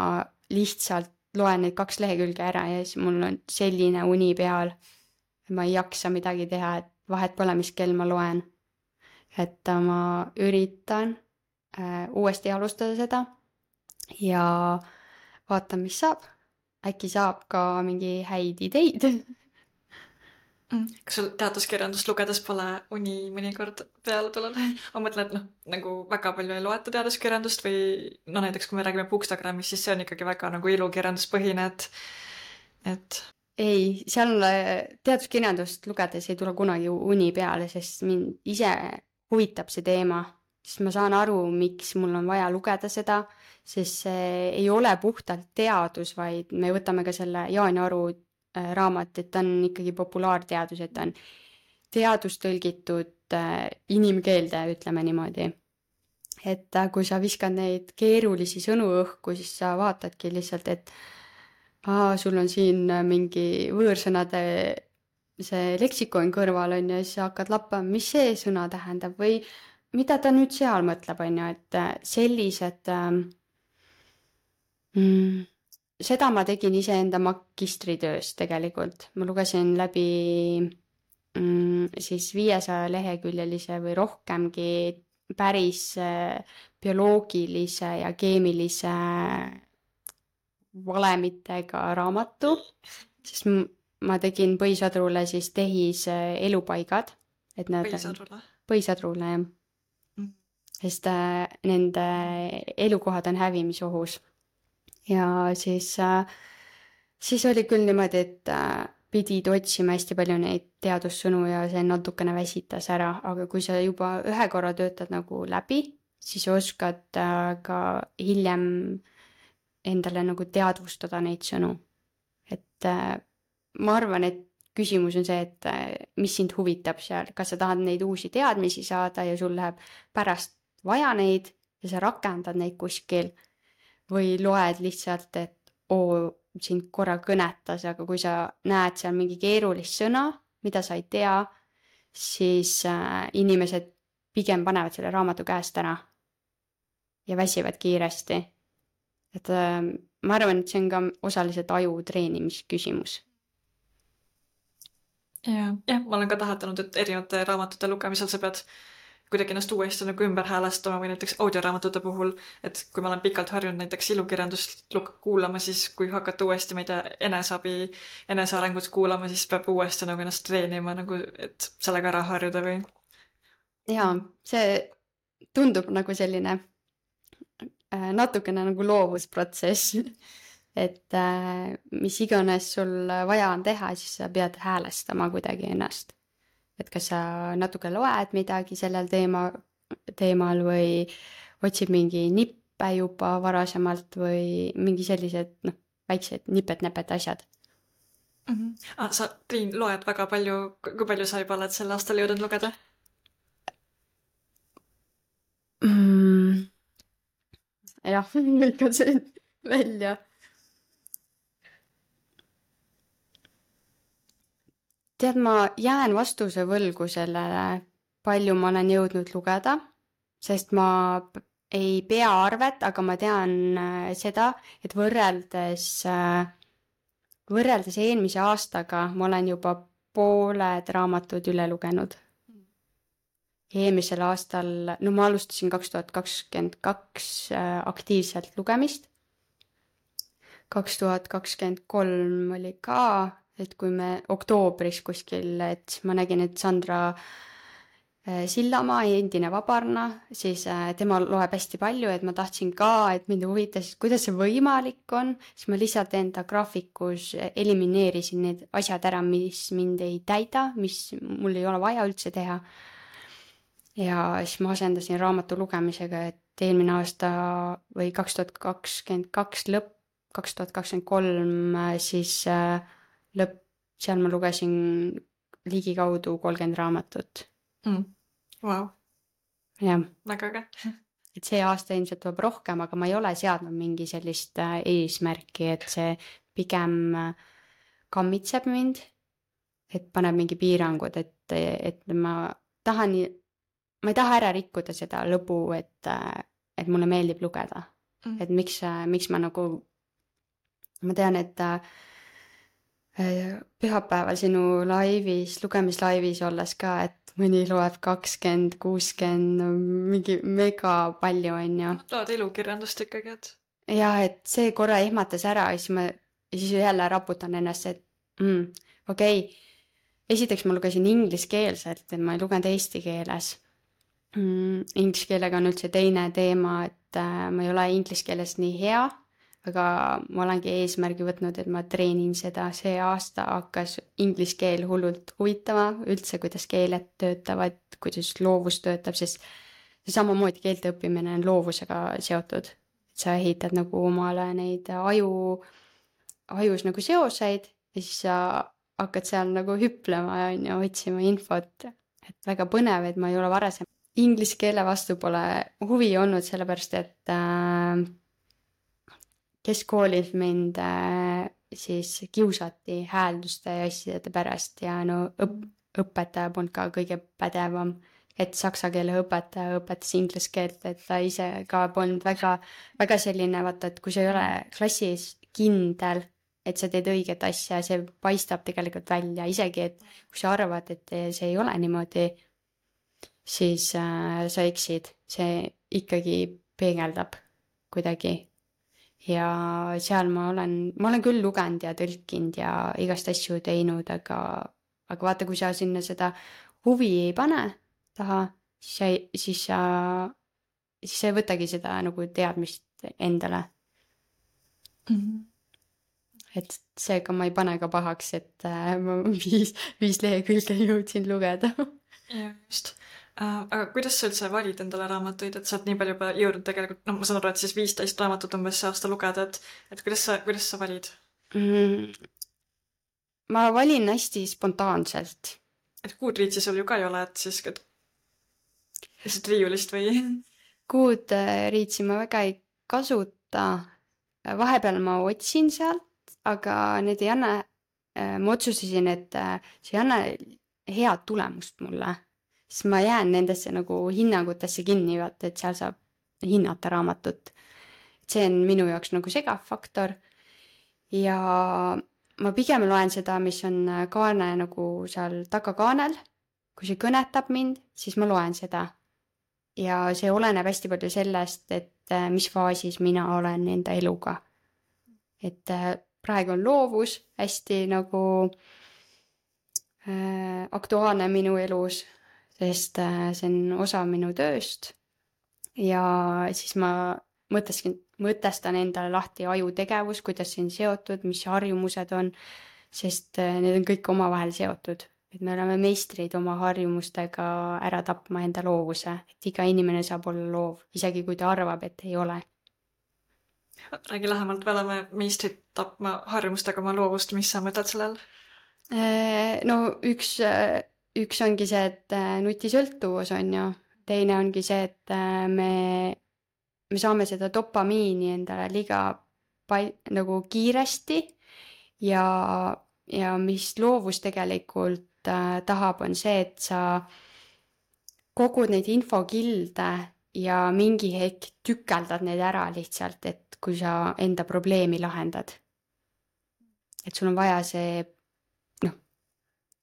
lihtsalt loen need kaks lehekülge ära ja siis mul on selline uni peal. Ma ei jaksa midagi teha, et vahet pole, mis kell ma loen. Et äh, ma üritan äh, uuesti alustada seda ja vaatan, mis saab. Äkki saab ka mingi häid ideid. Mm. Kas sul teaduskirjandust lugedes pole uni mõnikord peale tulnud? Ma mõtlen, et noh, nagu väga palju ei loeta teaduskirjandust või no näiteks kui me räägime Bookstagramist, siis see on ikkagi väga nagu ilukirjanduspõhine, et, et Ei, seal äh, teaduskirjandust lugedes ei tule kunagi uni peale, sest mind ise huvitab see teema. Siis ma saan aru, miks mul on vaja lugeda seda, sest see ei ole puhtalt teadus, vaid me võtame ka selle Jaan Aru äh, raamat, et ta on ikkagi populaarteadus, et ta on teadus tõlgitud äh, inimkeelde, ütleme niimoodi. Et äh, kui sa viskad neid keerulisi sõnu õhku, siis sa vaatadki lihtsalt, et aa, sul on siin äh, mingi võõrsõnade see leksikon kõrval on ja siis sa hakkad lappama, mis see sõna tähendab või mida ta nüüd seal mõtleb, on ju, et äh, sellised ähm, mm, seda ma tegin iseenda magistritöös tegelikult. Ma lugesin läbi mm, siis viiesaja leheküljelise või rohkemgi päris äh, bioloogilise ja keemilise valemitega raamatu, sest m- ma tegin põhisadrule siis tehis äh, elupaigad, et nad põhisadrule. põhisadrule jah, Mm. sest äh, nende elukohad on hävimisohus. Ja siis, äh, siis oli küll niimoodi, et äh, pidid otsima hästi palju neid teadussõnu ja see natukene väsitas ära, aga kui sa juba ühe korra töötad nagu läbi, siis oskad äh, ka hiljem endale nagu teadvustada neid sõnu. Et äh, ma arvan, et küsimus on see, et äh, mis sind huvitab seal, kas sa tahad neid uusi teadmisi saada ja sul läheb pärast vaja neid ja sa rakendad neid kuskil või loed lihtsalt, et oo, sind korra kõnetas, aga kui sa näed seal mingi keerulist sõna, mida sa ei tea, siis äh, inimesed pigem panevad selle raamatu käest ära ja väsivad kiiresti. Et äh, ma arvan, et see on ka osaliselt aju treenimisküsimus. Ja, jah, ma olen ka täheldanud, et erinevate raamatute lugemisel sa pead kuidagi ennast uuesti nagu ümber häälestama või näiteks audioraamatute puhul, et kui ma olen pikalt harjunud näiteks ilukirjandust luk- kuulama, siis kui hakata uuesti meid eneseabi, enesearengut kuulama, siis peab uuesti nagu ennast treenima, nagu, et sellega ära harjuda või. Jaa, see tundub nagu selline äh, natukene nagu loovusprotsess, et äh, mis iganes sul vaja on teha, siis sa pead häälestama kuidagi ennast. Et kas sa natuke loed midagi sellel teema, teemal või otsid mingi nippe juba varasemalt või mingi sellised noh, väiksed nipet-näpet asjad. Mhm. Ah, sa, Triin, loed väga palju, kui palju sa juba oled sel aastal jõudnud lugeda? Mm. Jah, lõikan see välja. Tead, ma jään vastuse võlgu sellele, palju ma olen jõudnud lugeda, sest ma p- ei pea arvet, aga ma tean äh, seda, et võrreldes, äh, võrreldes eelmise aastaga ma olen juba pooled raamatud üle lugenud. Eelmisel aastal, no ma alustasin kaks tuhat kakskümmend kaks äh, aktiivselt lugemist. kaks tuhat kakskümmend kolm oli ka, et kui me oktoobris kuskil, et ma nägin, et Sandra äh, Sillamaa, endine Vabarna, siis äh, tema loeb hästi palju, et ma tahtsin ka, et mind huvitas, kuidas see võimalik on, siis ma lihtsalt enda graafikus elimineerisin need asjad ära, mis mind ei täida, mis mul ei ole vaja üldse teha. Ja siis ma asendasin raamatu lugemisega, et eelmine aasta või kaks tuhat kakskümmend kaks lõpp, kaks tuhat kakskümmend kolm siis äh, lõpp, seal ma lugesin ligikaudu kolmkümmend raamatut. Mm. Vau, Jah, väga äge. et see aasta ilmselt tuleb rohkem, aga ma ei ole seadnud mingi sellist äh, eesmärki, et see pigem äh, kammitseb mind, et paneb mingi piirangud, et, et ma tahan, ma ei taha ära rikkuda seda lõbu, et, äh, et mulle meeldib lugeda. Mm. Et miks, miks ma nagu, ma tean, et äh, pühapäeval sinu laivis, lugemislaivis olles ka, et mõni loeb kakskümmend, kuuskümmend, mingi mega palju on ju. Loed elukirjandust ikkagi, et? Ja, et see korra ehmatas ära ja siis ma ja siis jälle raputan ennast, et mm, okei, okay. Esiteks ma lugesin ingliskeelselt, et ma ei lugenud eesti keeles. Mm, inglise keelega on üldse teine teema, et äh, ma ei ole inglise keeles nii hea, aga ma olengi eesmärgi võtnud, et ma treenin seda. See aasta hakkas inglise keel hullult huvitama, üldse kuidas keeled töötavad, kuidas loovus töötab, sest see samamoodi keelte õppimine on loovusega seotud. Sa ehitad nagu omale neid aju, ajus nagu seoseid ja siis sa hakkad seal nagu hüplema ja otsima infot, et väga põnev, et ma ei ole varasem. Inglise keele vastu pole huvi olnud, sellepärast et äh, keskkoolis mind äh, siis kiusati häälduste ja asjade pärast ja no õp- õpetaja polnud ka kõige pädevam, et saksa keele õpetaja õpetas inglise keelt, et ta ise ka polnud väga, väga selline, vaata, et kui sa ei ole klassis kindel, et sa teed õiget asja, see paistab tegelikult välja, isegi, et kui sa arvad, et see ei ole niimoodi, siis äh, sa eksid, see ikkagi peegeldab kuidagi. Ja seal ma olen, ma olen küll lugenud ja tõlkinud ja igast asju teinud, aga, aga vaata, kui sa sinna seda huvi ei pane taha, siis sa, siis sa, siis sa ei võtagi seda nagu teadmist endale. Mm-hmm. Et seega ma ei pane ka pahaks, et äh, ma viis, viis lehekülge jõudsin lugeda. Ja, just. Uh, aga kuidas sa üldse valid endale raamatuid, et sa oled nii palju juba jõudnud tegelikult, no ma saan aru, et siis viisteist raamatut umbes see aasta lugeda, et, et kuidas sa, kuidas sa valid? Mm, ma valin hästi spontaanselt. Et Goodreadsi sul ju ka ei ole, et siis et lihtsalt riiulist või? Goodreadsi ma väga ei kasuta. Vahepeal ma otsin sealt, aga need ei anna, ma otsustasin, et see ei anna head tulemust mulle. Siis ma jään nendesse nagu hinnangutesse kinni, vaata, et seal saab hinnata raamatut. See on minu jaoks nagu segav faktor. Ja ma pigem loen seda, mis on kaane nagu seal takakaanel. Kui see kõnetab mind, siis ma loen seda. Ja see oleneb hästi palju sellest, et mis faasis mina olen enda eluga. Et praegu on loovus hästi nagu äh, aktuaalne minu elus, sest see on osa minu tööst ja siis ma mõtestan, mõtestan endale lahti ajutegevus, kuidas see on seotud, mis harjumused on, sest need on kõik omavahel seotud. Et me oleme meistrid oma harjumustega ära tapma enda loovuse, et iga inimene saab olla loov, isegi kui ta arvab, et ei ole. Räägi lähemalt, me oleme meistrid tapma harjumustega oma loovust, mis sa mõtled sellel? No üks... Üks ongi see, et nutisõltuvus on ju, teine ongi see, et me, me saame seda dopamiini endale liiga pai, nagu kiiresti ja, ja mis loovus tegelikult äh, tahab, on see, et sa kogud neid infokilde ja mingi hetk tükeldad neid ära lihtsalt, et kui sa enda probleemi lahendad. Et sul on vaja see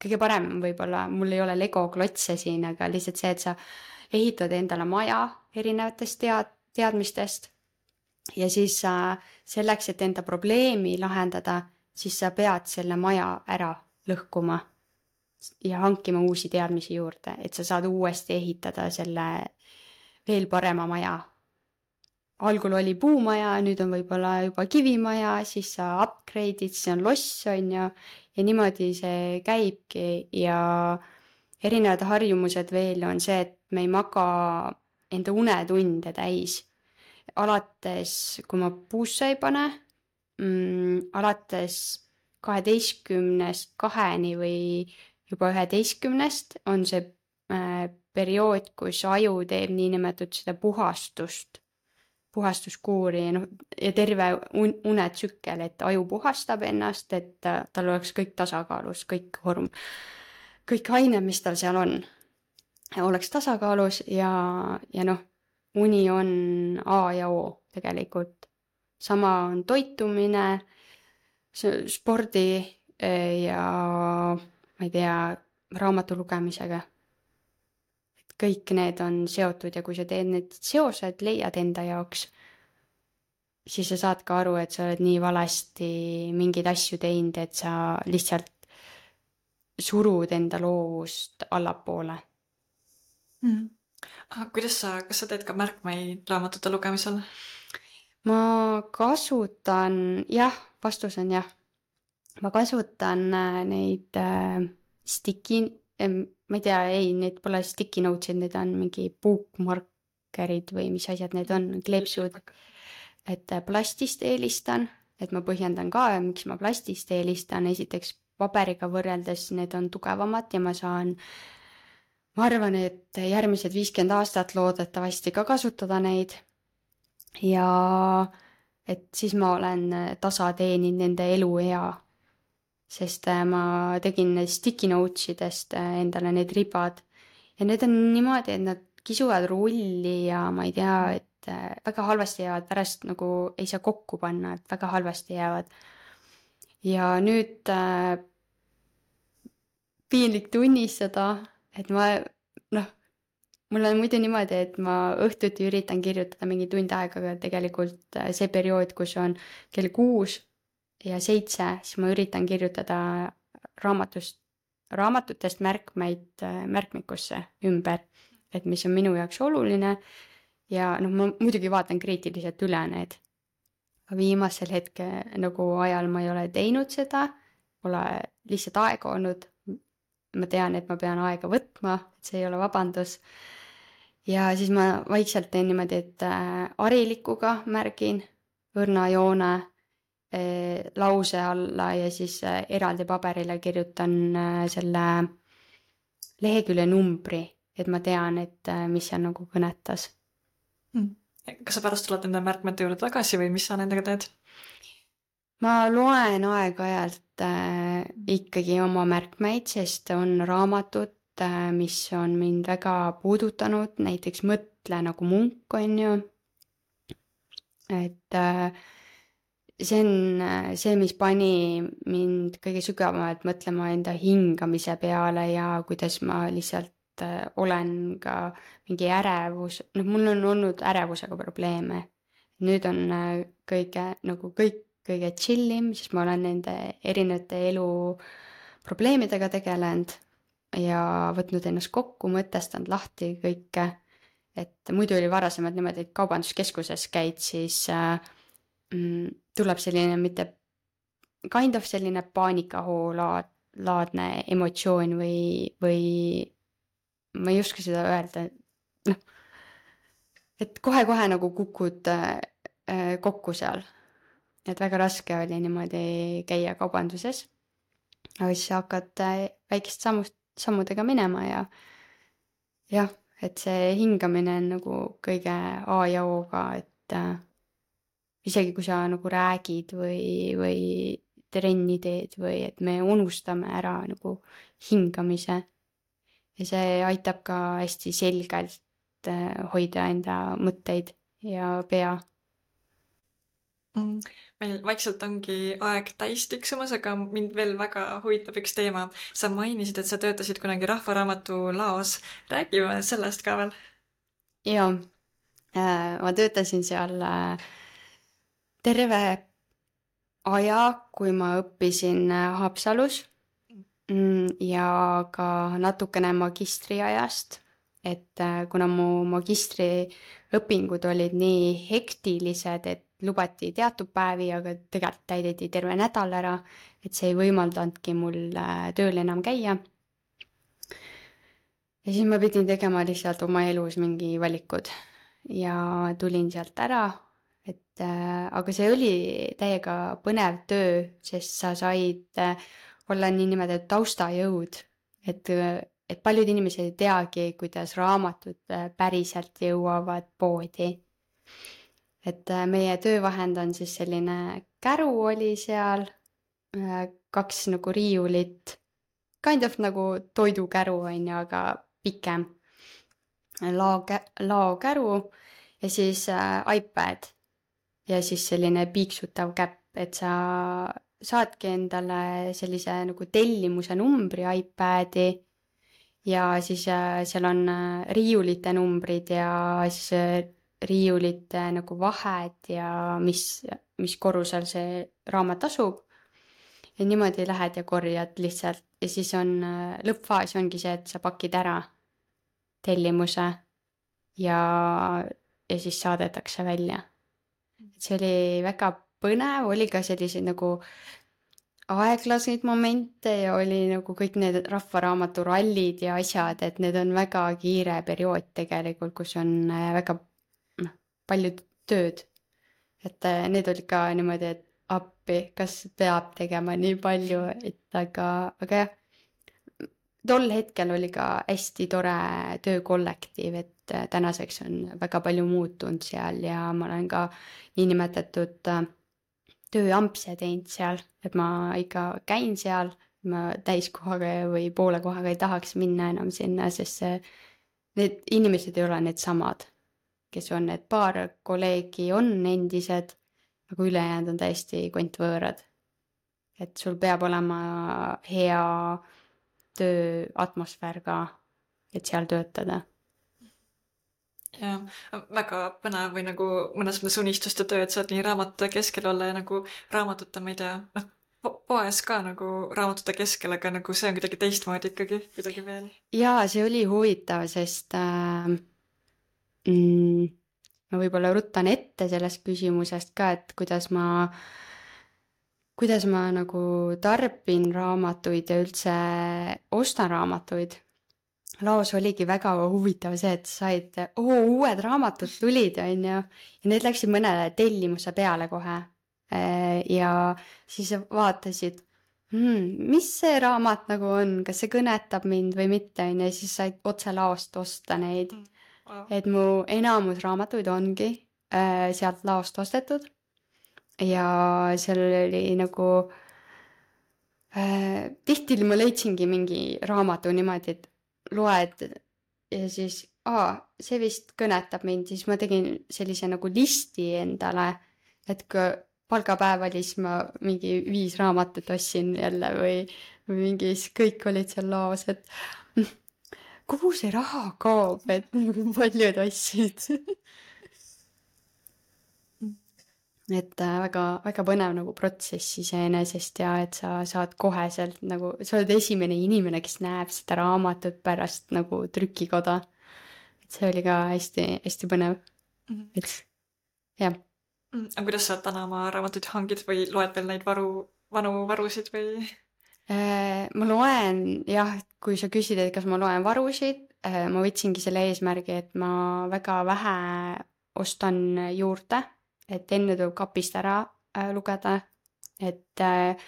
kõige parem võib-olla, mul ei ole Lego klotse siin, aga lihtsalt see, et sa ehitad endale maja erinevatest tead, teadmistest ja siis sa selleks, et enda probleemi lahendada, siis sa pead selle maja ära lõhkuma ja hankima uusi teadmisi juurde, et sa saad uuesti ehitada selle veel parema maja. Algul oli puumaja, nüüd on võib-olla juba kivimaja, siis sa upgrade'id, see on loss, on ju, ja niimoodi see käibki ja erinevad harjumused veel on see, et me ei maga enda unetunde täis. Alates, kui ma puusse ei pane, mm, alates kaheteistkümnest kaheni või juba üheteistkümnest on see äh, periood, kus aju teeb niinimetatud seda puhastust, puhastuskuuri ja, noh, ja terve un- unetsükkel, et aju puhastab ennast, et tal oleks kõik tasakaalus, kõik horm, kõik ained, mis tal seal on, oleks tasakaalus ja, ja noh, uni on A ja O tegelikult. Sama on toitumine, spordi ja ma ei tea, raamatu lugemisega. Et kõik need on seotud ja kui sa teed need seosed, leiad enda jaoks, siis sa saad ka aru, et sa oled nii valesti mingeid asju teinud, et sa lihtsalt surud enda loovust allapoole. Mm. Aha, kuidas sa, kas sa teed ka märkmeid raamatute lugemisel? Ma kasutan, jah, vastus on jah. Ma kasutan neid äh, sticky, ma ei tea, ei, need pole sticky notes'id, need on mingi bookmarkerid või mis asjad need on, kleepsud. Et plastist eelistan, et ma põhjendan ka, miks ma plastist eelistan. Esiteks paberiga võrreldes need on tugevamad ja ma saan, ma arvan, et järgmised viiskümmend aastat loodetavasti ka kasutada neid. Ja et siis ma olen tasa teeninud nende eluea, sest ma tegin sticky notes'idest endale need ribad ja need on niimoodi, et nad kisuvad rulli ja ma ei tea, et väga halvasti jäävad, pärast nagu ei saa kokku panna, et väga halvasti jäävad. Ja nüüd äh, piinlik tunnistada, et ma, noh, mul on muidu niimoodi, et ma õhtuti üritan kirjutada mingi tund aega, aga tegelikult see periood, kus on kell kuus ja seitse, siis ma üritan kirjutada raamatust, raamatutest märkmeid märkmikusse ümber, et mis on minu jaoks oluline ja noh, ma muidugi vaatan kriitiliselt üle need. Viimasel hetke nagu ajal ma ei ole teinud seda, pole lihtsalt aega olnud. Ma tean, et ma pean aega võtma, et see ei ole vabandus. Ja siis ma vaikselt teen niimoodi, et harilikuga märgin õrna joone lause alla ja siis eraldi paberile kirjutan selle lehekülje numbri, et ma tean, et mis seal nagu kõnetas. Hmm. Kas sa pärast tuled nende märkmete juurde tagasi või mis sa nendega teed? Ma loen aeg-ajalt äh, ikkagi oma märkmeid, sest on raamatud, äh, mis on mind väga puudutanud, näiteks Mõtle nagu munk on ju. Et äh, see on see, mis pani mind kõige sügavamalt mõtlema enda hingamise peale ja kuidas ma lihtsalt äh, olen ka mingi ärevus, noh, mul on olnud ärevusega probleeme. Nüüd on äh, kõige, nagu kõik kõige chillim, sest ma olen nende erinevate elu probleemidega tegelenud ja võtnud ennast kokku, mõtestanud lahti kõike. Et muidu oli varasemalt niimoodi, et kaubanduskeskuses käid, siis äh, tuleb selline mitte kind of selline paanikahoo laad, laadne emotsioon või, või ma ei oska seda öelda, noh, et kohe-kohe nagu kukud äh, kokku seal. Et väga raske oli niimoodi käia kaubanduses, aga siis hakkad väikest sammust, sammudega minema ja jah, et see hingamine on nagu kõige A ja O-ga, et äh, isegi kui sa nagu räägid või, või trenni teed või et me unustame ära nagu hingamise ja see aitab ka hästi selgelt äh, hoida enda mõtteid ja pea. Meil vaikselt ongi aeg täis tiksumas, aga mind veel väga huvitab üks teema. Sa mainisid, et sa töötasid kunagi Rahvaraamatu laos. Räägime sellest ka veel. Joo, ma töötasin seal terve aja, kui ma õppisin Haapsalus ja ka natukene magistriajast, et kuna mu magistriõpingud olid nii hektilised, et lubati teatud päevi, aga tegelikult täideti terve nädal ära, et see ei võimaldanudki mul tööl enam käia. Ja siis ma pidin tegema lihtsalt oma elus mingi valikud ja tulin sealt ära, et aga see oli täiega põnev töö, sest sa said olla nii nimetatud taustajõud, et, et paljud inimesed ei teagi, kuidas raamatud päriselt jõuavad poodi. Et meie töövahend on siis selline käru oli seal, kaks nagu riiulit, kind of nagu toidukäru on ju, aga pikem lao, lao käru ja siis äh, iPad ja siis selline piiksutav käpp, et sa saadki endale sellise nagu tellimuse numbri iPadi ja siis äh, seal on äh, riiulite numbrid ja siis äh, riiulite nagu vahed ja mis, mis korrusel see raamat asub. Ja niimoodi lähed ja korjad lihtsalt ja siis on lõppfaas ongi see, et sa pakid ära tellimuse ja, ja siis saadetakse välja. See oli väga põnev, oli ka selliseid nagu aeglaseid momente ja oli nagu kõik need rahvaraamatu rallid ja asjad, et need on väga kiire periood tegelikult, kus on väga noh, palju tööd. Et need olid ka niimoodi, et appi, kas peab tegema nii palju, et aga, aga jah, tol hetkel oli ka hästi tore töökollektiiv, et tänaseks on väga palju muutunud seal ja ma olen ka niinimetatud tööampse teinud seal, et ma ikka käin seal, ma täiskohaga või poole kohaga ei tahaks minna enam sinna, sest see, need inimesed ei ole need samad, kes on need paar kolleegi on endised, aga ülejäänud on täiesti kontvõõrad. Et sul peab olema hea tööatmosfäär ka, et seal töötada. Ja, väga põnev või nagu mõnes mõnes unistuste töö, et saad nii raamatute keskel olla ja nagu raamatute, ma ei tea, noh, poes ka nagu raamatute keskel, aga nagu see on kuidagi teistmoodi ikkagi, kuidagi veel. Jaa, see oli huvitav, sest äh, mm, ma võib-olla ruttan ette sellest küsimusest ka, et kuidas ma, kuidas ma nagu tarbin raamatuid ja üldse ostan raamatuid. Laos oligi väga huvitav see, et said, oo, uued raamatud tulid, on ju, ja need läksid mõnele tellimuse peale kohe. Ja siis vaatasid, hmm, mis see raamat nagu on, kas see kõnetab mind või mitte, on ju, ja siis said otse laost osta neid. Wow. Et mu enamus raamatuid ongi äh, sealt laost ostetud ja seal oli nagu äh, tihti ma leidsingi mingi raamatu niimoodi, et loed ja siis, aa, see vist kõnetab mind, siis ma tegin sellise nagu listi endale, et kui palgapäev oli, siis ma mingi viis raamatut ostsin jälle või, või mingi, kõik olid seal laos, et kuhu see raha kaob, et paljud ostsid. Et väga, väga põnev nagu protsess iseenesest ja et sa saad koheselt nagu, sa oled esimene inimene, kes näeb seda raamatut pärast nagu trükikoda. Et see oli ka hästi, hästi põnev. Mm-hmm. Et jah. Aga kuidas sa täna oma raamatuid hangid või loed veel neid varu, vanu varusid või? Ma loen, jah, kui sa küsid, et kas ma loen varusid, ma võtsingi selle eesmärgi, et ma väga vähe ostan juurde. Et enne tuleb kapist ära äh, lugeda, et äh,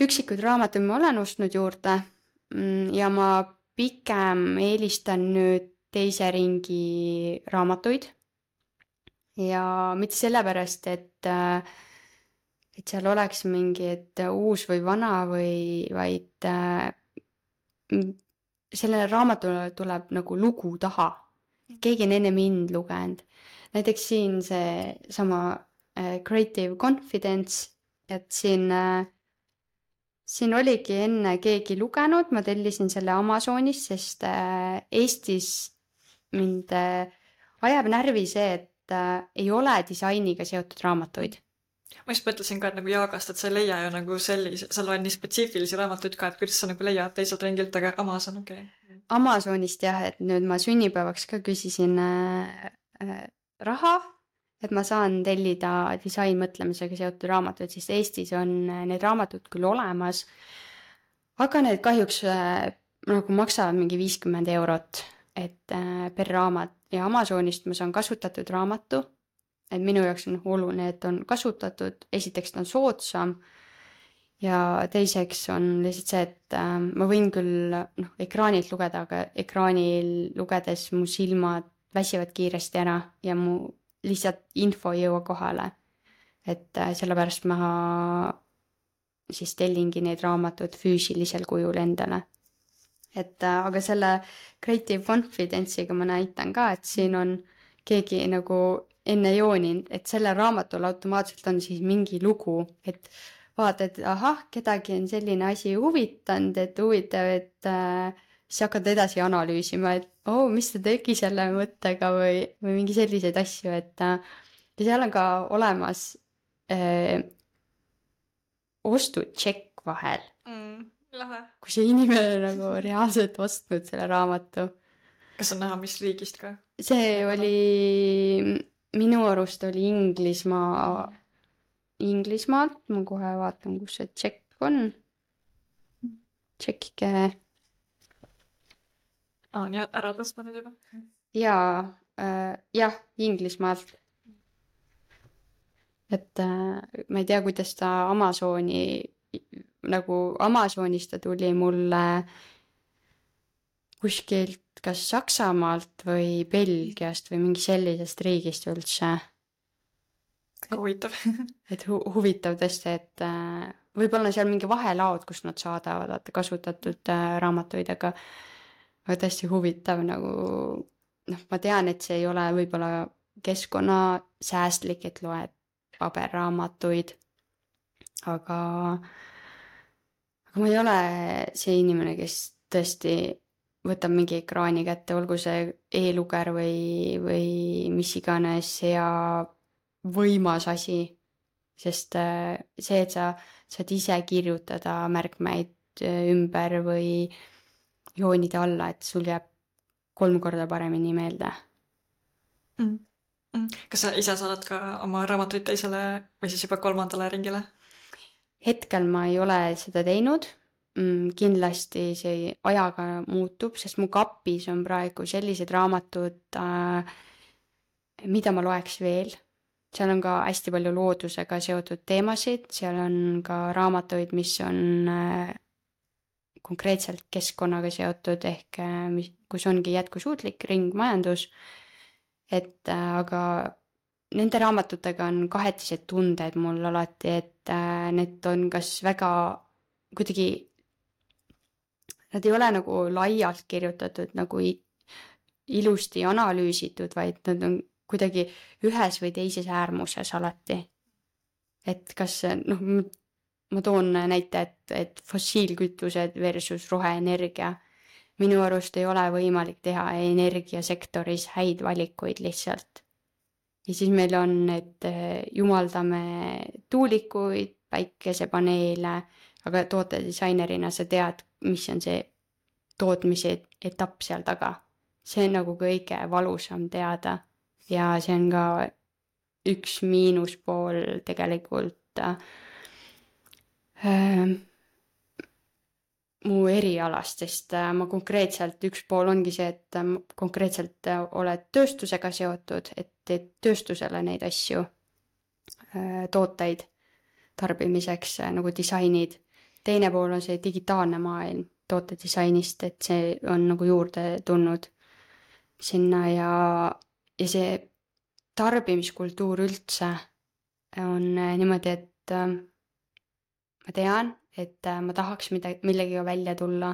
üksikud raamatud ma olen ostnud juurde ja ma pigem eelistan nüüd teise ringi raamatuid ja mitte sellepärast, et, äh, et seal oleks mingi et uus või vana või vaid äh, sellele raamatule tuleb nagu lugu taha. Keegi on enne mind lugenud. Näiteks siin see sama äh, Creative Confidence, et siin, äh, siin oligi enne keegi lugenud, ma tellisin selle Amazonist, sest äh, Eestis mind äh, ajab närvi see, et äh, ei ole disainiga seotud raamatuid. Ma just mõtlesin ka, et nagu Jaagast, et sa ei leia ju nagu sellise, sa loed nii spetsiifilisi raamatuid ka, et kuidas sa nagu leiad teiselt ringilt, aga Amazon, okei. Okay. Amazonist jah, et nüüd ma sünnipäevaks ka küsisin äh, äh, raha, et ma saan tellida disainmõtlemisega seotud raamatuid, sest Eestis on need raamatud küll olemas, aga need kahjuks äh, nagu maksavad mingi viiskümmend eurot, et äh, per raamat ja Amazonist ma saan kasutatud raamatu, et minu jaoks on oluline, et on kasutatud, esiteks ta on soodsam ja teiseks on lihtsalt see, et äh, ma võin küll noh, ekraanilt lugeda, aga ekraanil lugedes mu silmad väsivad kiiresti ära ja mu lihtsalt info ei jõua kohale. Et äh, sellepärast ma siis tellingi neid raamatud füüsilisel kujul endale. Et äh, aga selle Creative Confidence'iga ma näitan ka, et siin on keegi nagu enne jooninud, et sellel raamatul automaatselt on siis mingi lugu, et vaatad, et ahah, kedagi on selline asi huvitanud, et huvitav, et äh, siis hakkad edasi analüüsima, et oo, oh, mis ta tegi selle mõttega või, või mingi selliseid asju, et äh, ja seal on ka olemas äh, ostutšekk vahel. Mm, lahe. Kui see inimene nagu reaalselt ostnud selle raamatu. Kas on näha, mis riigist ka? See oli, minu arust oli Inglismaa, Inglismaalt, ma kohe vaatan, kus see tšekk on. Tšekkike. Aa, nii ära tõstma nüüd juba? Jaa, äh, jah, Inglismaalt. Et äh, ma ei tea, kuidas ta Amazoni, nagu Amazonist ta tuli mulle kuskilt kas Saksamaalt või Belgiast või mingi sellisest riigist üldse. Huvitav. Et hu huvitav tõesti, et äh, võib-olla seal mingi vahelaod, kus nad saadavad vaata, kasutatud äh, raamatuid, aga, aga tõesti huvitav nagu, noh, ma tean, et see ei ole võib-olla keskkonnasäästlik, et loed paberraamatuid, aga, aga ma ei ole see inimene, kes tõesti võtab mingi ekraani kätte, olgu see e-luger või, või mis iganes ja võimas asi, sest see, et sa saad ise kirjutada märkmeid ümber või joonida alla, et sul jääb kolm korda paremini meelde. Mm. Mm. Kas sa ise saadad ka oma raamatuid teisele või siis juba kolmandale ringile? Hetkel ma ei ole seda teinud. Mm, kindlasti see ajaga muutub, sest mu kapis on praegu sellised raamatud, äh, mida ma loeks veel. Seal on ka hästi palju loodusega seotud teemasid, seal on ka raamatuid, mis on äh, konkreetselt keskkonnaga seotud, ehk äh, mis, kus ongi jätkusuutlik ringmajandus, et äh, aga nende raamatutega on kahetised tunded mul alati, et äh, need on kas väga kuidagi, nad ei ole nagu laialt kirjutatud, nagu ilusti analüüsitud, vaid nad on kuidagi ühes või teises äärmuses alati. Et kas, noh, ma toon näite, et, et fossiilkütused versus roheenergia. Minu arust ei ole võimalik teha energiasektoris häid valikuid lihtsalt. Ja siis meil on, et jumaldame tuulikuid, päikesepaneele, aga tootedisainerina sa tead, mis on see tootmise etapp seal taga. See on nagu kõige valusam teada. Ja see on ka üks miinuspool tegelikult äh, mu erialast, sest äh, ma konkreetselt, üks pool ongi see, et äh, konkreetselt äh, oled tööstusega seotud, et teed tööstusele neid asju, äh, tooteid tarbimiseks äh, nagu disainid. Teine pool on see digitaalne maailm tootedisainist, et see on nagu juurde tulnud sinna ja Ja see tarbimiskultuur üldse on niimoodi, et äh, ma tean, et äh, ma tahaks midagi, millegiga välja tulla,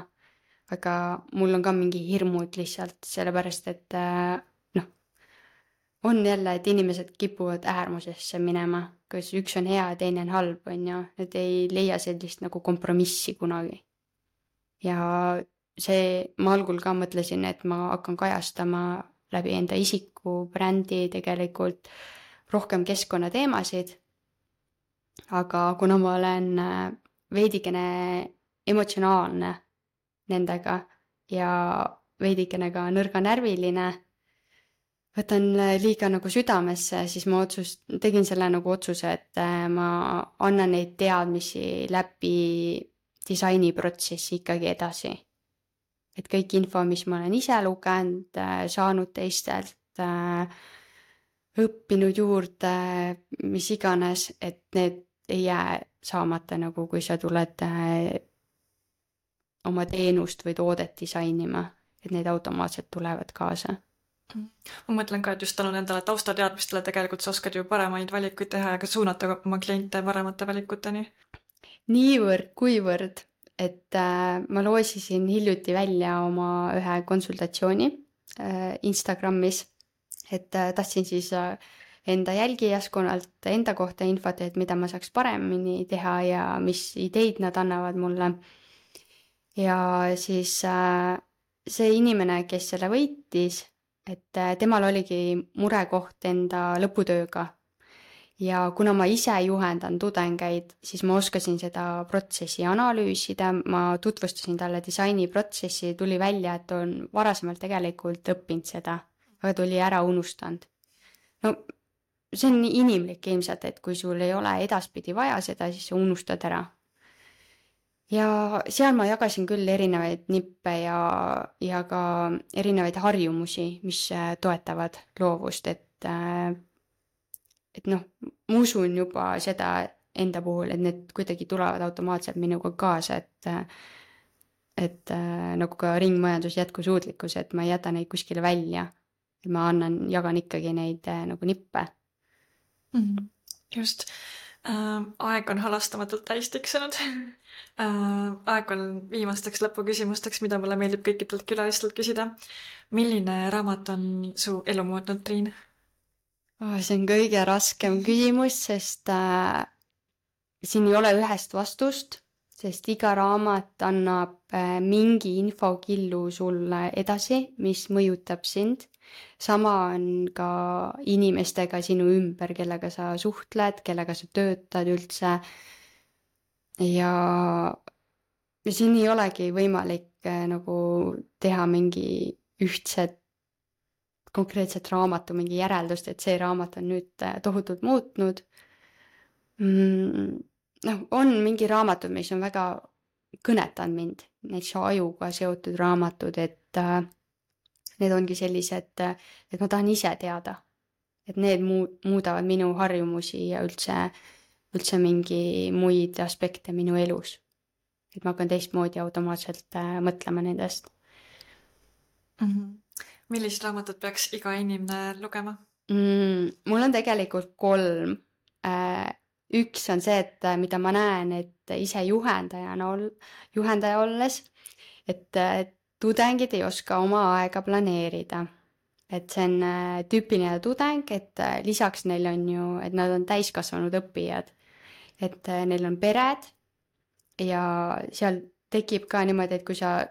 aga mul on ka mingi hirmud lihtsalt, sellepärast, et äh, noh, on jälle, et inimesed kipuvad äärmusesse minema, kus üks on hea ja teine on halb, on ju, need ei leia sellist nagu kompromissi kunagi. Ja see, ma algul ka mõtlesin, et ma hakkan kajastama läbi enda isiku brändi tegelikult rohkem keskkonnateemasid, aga kuna ma olen veidikene emotsionaalne nendega ja veidikene ka nõrganärviline, võtan liiga nagu südamesse, siis ma otsus, tegin selle nagu otsuse, et ma annan neid teadmisi läbi disainiprotsessi ikkagi edasi. Et kõik info, mis ma olen ise lugenud, saanud teistelt, õppinud juurde, mis iganes, et need ei jää saamata nagu, kui sa tuled äh, oma teenust või toodet disainima, et need automaatselt tulevad kaasa. Ma mõtlen ka, et just tänu nendele taustateadmistele tegelikult sa oskad ju paremaid valikuid teha ja ka suunata oma kliente paremate valikuteni. Niivõrd, kuivõrd, et äh, ma loosisin hiljuti välja oma ühe konsultatsiooni äh, Instagramis, et äh, tahtsin siis äh, enda jälgijaskonnalt enda kohta infot, et mida ma saaks paremini teha ja mis ideid nad annavad mulle. Ja siis äh, see inimene, kes selle võitis, et äh, temal oligi murekoht enda lõputööga. Ja kuna ma ise juhendan tudengeid, siis ma oskasin seda protsessi analüüsida, ma tutvustasin talle disainiprotsessi, tuli välja, et on varasemalt tegelikult õppinud seda, aga tuli ära unustanud. No see on inimlik ilmselt, et kui sul ei ole edaspidi vaja seda, siis sa unustad ära. Ja seal ma jagasin küll erinevaid nippe ja, ja ka erinevaid harjumusi, mis toetavad loovust, et et noh, ma usun juba seda enda puhul, et need kuidagi tulevad automaatselt minuga kaasa, et et nagu ka ringmajandus jätkusuutlikkus, et ma ei jäta neid kuskile välja, et ma annan, jagan ikkagi neid nagu nippe. Mm, just. Äh, aeg on halastamatult täis tiksunud. Äh, aeg on viimasteks lõpuküsimusteks, mida mulle meeldib kõikidelt külalistelt küsida. Milline raamat on su elu muutnud, Triin? Oh, see on kõige raskem küsimus, sest äh, siin ei ole ühest vastust, sest iga raamat annab äh, mingi infokillu sulle edasi, mis mõjutab sind. Sama on ka inimestega sinu ümber, kellega sa suhtled, kellega sa töötad üldse. Ja, ja siin ei olegi võimalik äh, nagu teha mingi ühtset konkreetset raamatu, mingi järeldust, et see raamat on nüüd tohutult muutnud. Mm, no, on mingi raamatud, mis on väga kõnetanud mind, need ajuga seotud raamatud, et äh, need ongi sellised, et ma tahan ise teada, et need muudavad minu harjumusi ja üldse, üldse mingi muid aspekte minu elus. Et ma hakkan teistmoodi automaatselt äh, mõtlema nendest. Mm-hmm. Millist raamatut peaks iga inimene lugema? Mm, mul on tegelikult kolm. Üks on see, et mida ma näen, et ise juhendajana ol, juhendaja olles, et tudengid ei oska oma aega planeerida. Et see on tüüpiline tudeng, et lisaks neil on ju, et nad on täiskasvanud õppijad. Et neil on pered ja seal tekib ka niimoodi, et kui sa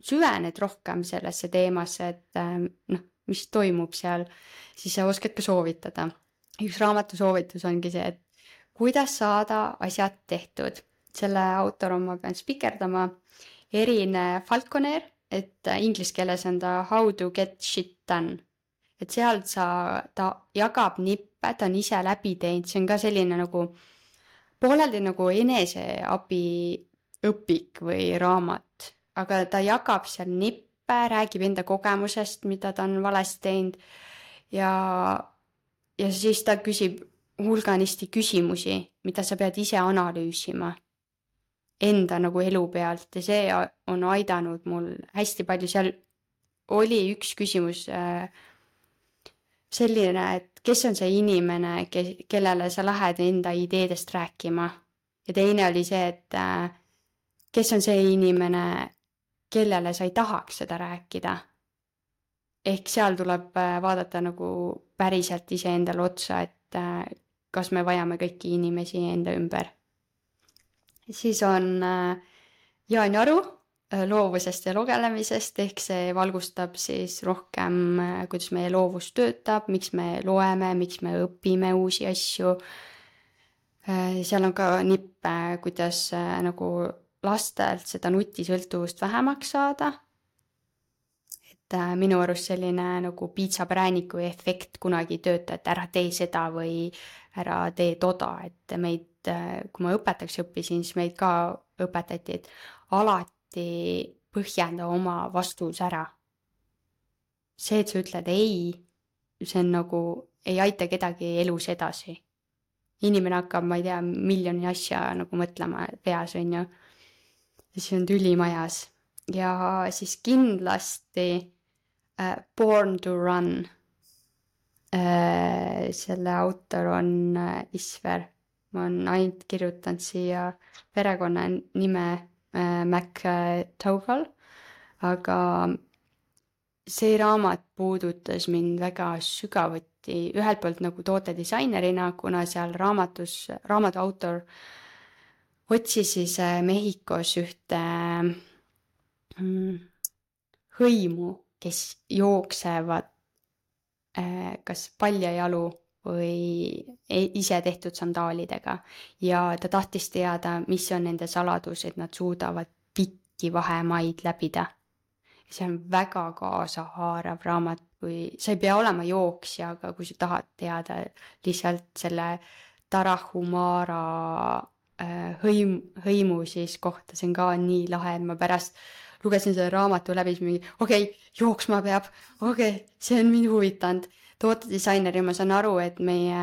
süvened rohkem sellesse teemasse, et noh, mis toimub seal, siis sa oskad ka soovitada. Üks raamatu soovitus ongi see, et kuidas saada asjad tehtud. Selle autor on, ma pean spikerdama, Erin Falconer, et inglise keeles on ta How to get shit done. Et seal sa, ta jagab nippe, ta on ise läbi teinud, see on ka selline nagu pooleldi nagu eneseabi õpik või raamat. Aga ta jagab seal nippe, räägib enda kogemusest, mida ta on valesti teinud ja, ja siis ta küsib hulganisti küsimusi, mida sa pead ise analüüsima enda nagu elu pealt ja see on aidanud mul hästi palju. Seal oli üks küsimus selline, et kes on see inimene, kellele sa lähed enda ideedest rääkima ja teine oli see, et kes on see inimene, kellele sa ei tahaks seda rääkida. Ehk seal tuleb vaadata nagu päriselt ise endale otsa, et kas me vajame kõiki inimesi enda ümber. Siis on Jaan Jaru loovusest ja lugelemisest, ehk see valgustab siis rohkem, kuidas meie loovus töötab, miks me loeme, miks me õpime uusi asju. Seal on ka nippe, kuidas nagu lastelt seda nutisõltuvust vähemaks saada. Et minu arust selline nagu piitsaprääniku efekt kunagi tööta, et ära tee seda või ära tee toda. Et meid, kui ma õpetaks õppisin, siis meid ka õpetati, et alati põhjenda oma vastus ära. See, et sa ütled ei, see on nagu, ei aita kedagi elus edasi. inimene hakkab, ma ei tea, miljoni asja nagu mõtlema peas, on ju. ja siis on tüli majas. ja siis kindlasti äh, Born to Run äh,. selle autor on äh, Isver. ma olen ainult kirjutanud siia perekonna nime äh, McDougall, aga see raamat puudutas mind väga sügavuti, ühelt poolt nagu tootedisainerina, kuna seal raamatus, raamatu autor otsis siis Mehhikos ühte mm, hõimu, kes jooksevad äh, kas paljajalu või ise tehtud sandaalidega ja ta tahtis teada, mis on nende saladus, et nad suudavad pikki vahemaid läbida. See on väga kaasahaarav raamat, kui sa ei pea olema jooksja, aga kui sa tahad teada lihtsalt selle Tarahumara äh, hõim, hõimu siis kohta, see on ka nii lahe, et ma pärast lugesin selle raamatu läbi, siis mingi, okei, okay, jooksma peab, okei okay,, see on mind huvitanud. Tootedisaineri ma saan aru, et meie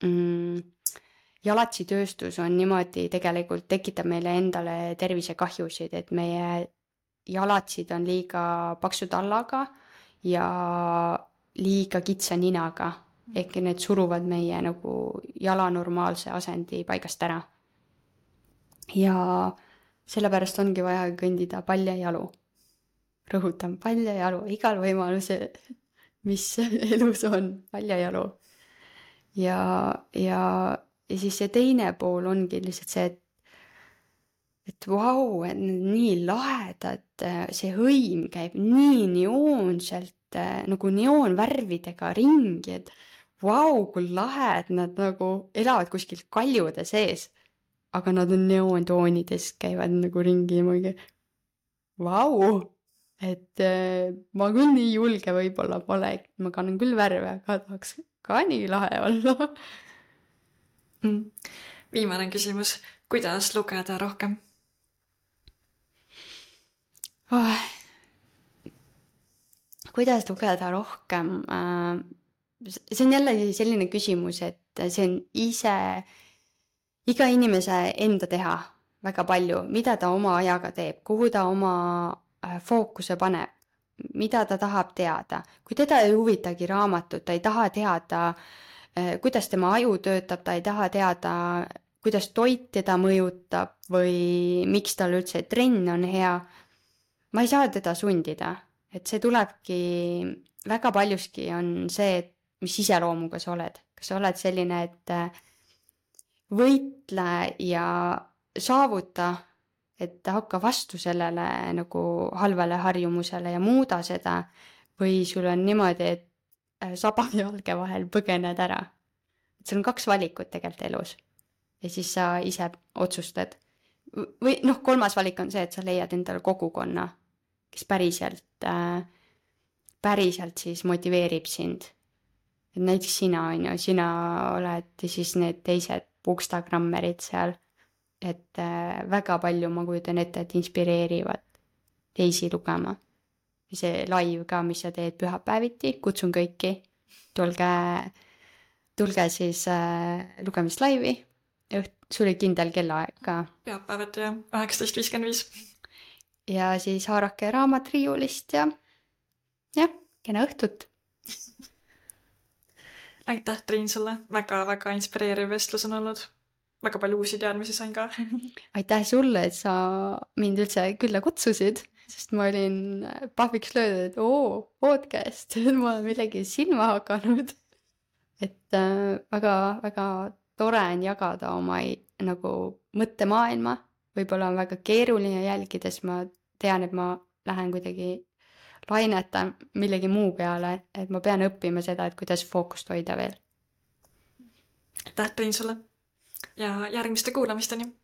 mm, jalatsitööstus on niimoodi tegelikult tekitab meile endale tervisekahjusid, et meie jalatsid on liiga paksu tallaga ja liiga kitsa ninaga, ehk need suruvad meie nagu jala normaalse asendi paigast ära. ja sellepärast ongi vaja kõndida paljajalu. Rõhutan, paljajalu, igal võimalusel, mis elus on, paljajalu. Ja, ja, ja siis see teine pool ongi lihtsalt see, et et vau, et nii lahedad, see hõim käib nii neoonselt, nagu neoonvärvidega ringi, et vau, kui lahe, et nad nagu elavad kuskil kaljude sees, aga nad on neoontoonides, käivad nagu ringi ja mingi vau, et ma küll nii julge võib-olla pole, ma kannan küll värve, aga tahaks ka nii lahe olla. Viimane küsimus, kuidas lugeda rohkem? Oh. Kuidas lugeda rohkem? See on jälle selline küsimus, et see on ise, iga inimese enda teha väga palju, mida ta oma ajaga teeb, kuhu ta oma fookuse paneb, mida ta tahab teada. Kui teda ei huvitagi raamatut, ta ei taha teada, kuidas tema aju töötab, ta ei taha teada, kuidas toit teda mõjutab või miks tal üldse trenn on hea. Ma ei saa teda sundida, et see tulebki, väga paljuski on see, et mis iseloomuga sa oled. Kas sa oled selline, et võitle ja saavuta, et hakka vastu sellele nagu halvale harjumusele ja muuda seda, või sul on niimoodi, et saba jalge vahel põgened ära. Et sul on kaks valikut tegelikult elus ja siis sa ise otsustad. Või noh, kolmas valik on see, et sa leiad endale kogukonna, kes päriselt, äh, päriselt siis motiveerib sind. Et näiteks sina on ju, sina oled siis need teised bookstagrammerid seal, et äh, väga palju ma kujutan ette, et inspireerivad teisi lugema. See live ka, mis sa teed pühapäeviti, kutsun kõiki, tulge, tulge siis äh, lugemist laivi, sul oli kindel kellaaeg ka. Pühapäevad ja üheksateist viiskümmend viis. Ja siis haarake raamat riiulist ja jah, kena õhtut. Aitäh, Triin, sulle. Väga-väga inspireeriv vestlus on olnud. Väga palju uusi teadmisi sain ka. Aitäh sulle, et sa mind üldse külla kutsusid, sest ma olin pahviks löödud, et oo, podcast, ma olen millegi silma hakanud. Et äh, väga, väga tore on jagada oma nagu mõttemaailma. Võib-olla on väga keeruline jälgides, ma tean, et ma lähen kuidagi lainetan millegi muu peale, et ma pean õppima seda, et kuidas fookust hoida veel. Aitäh, Triin, sulle ja järgmiste kuulamisteni!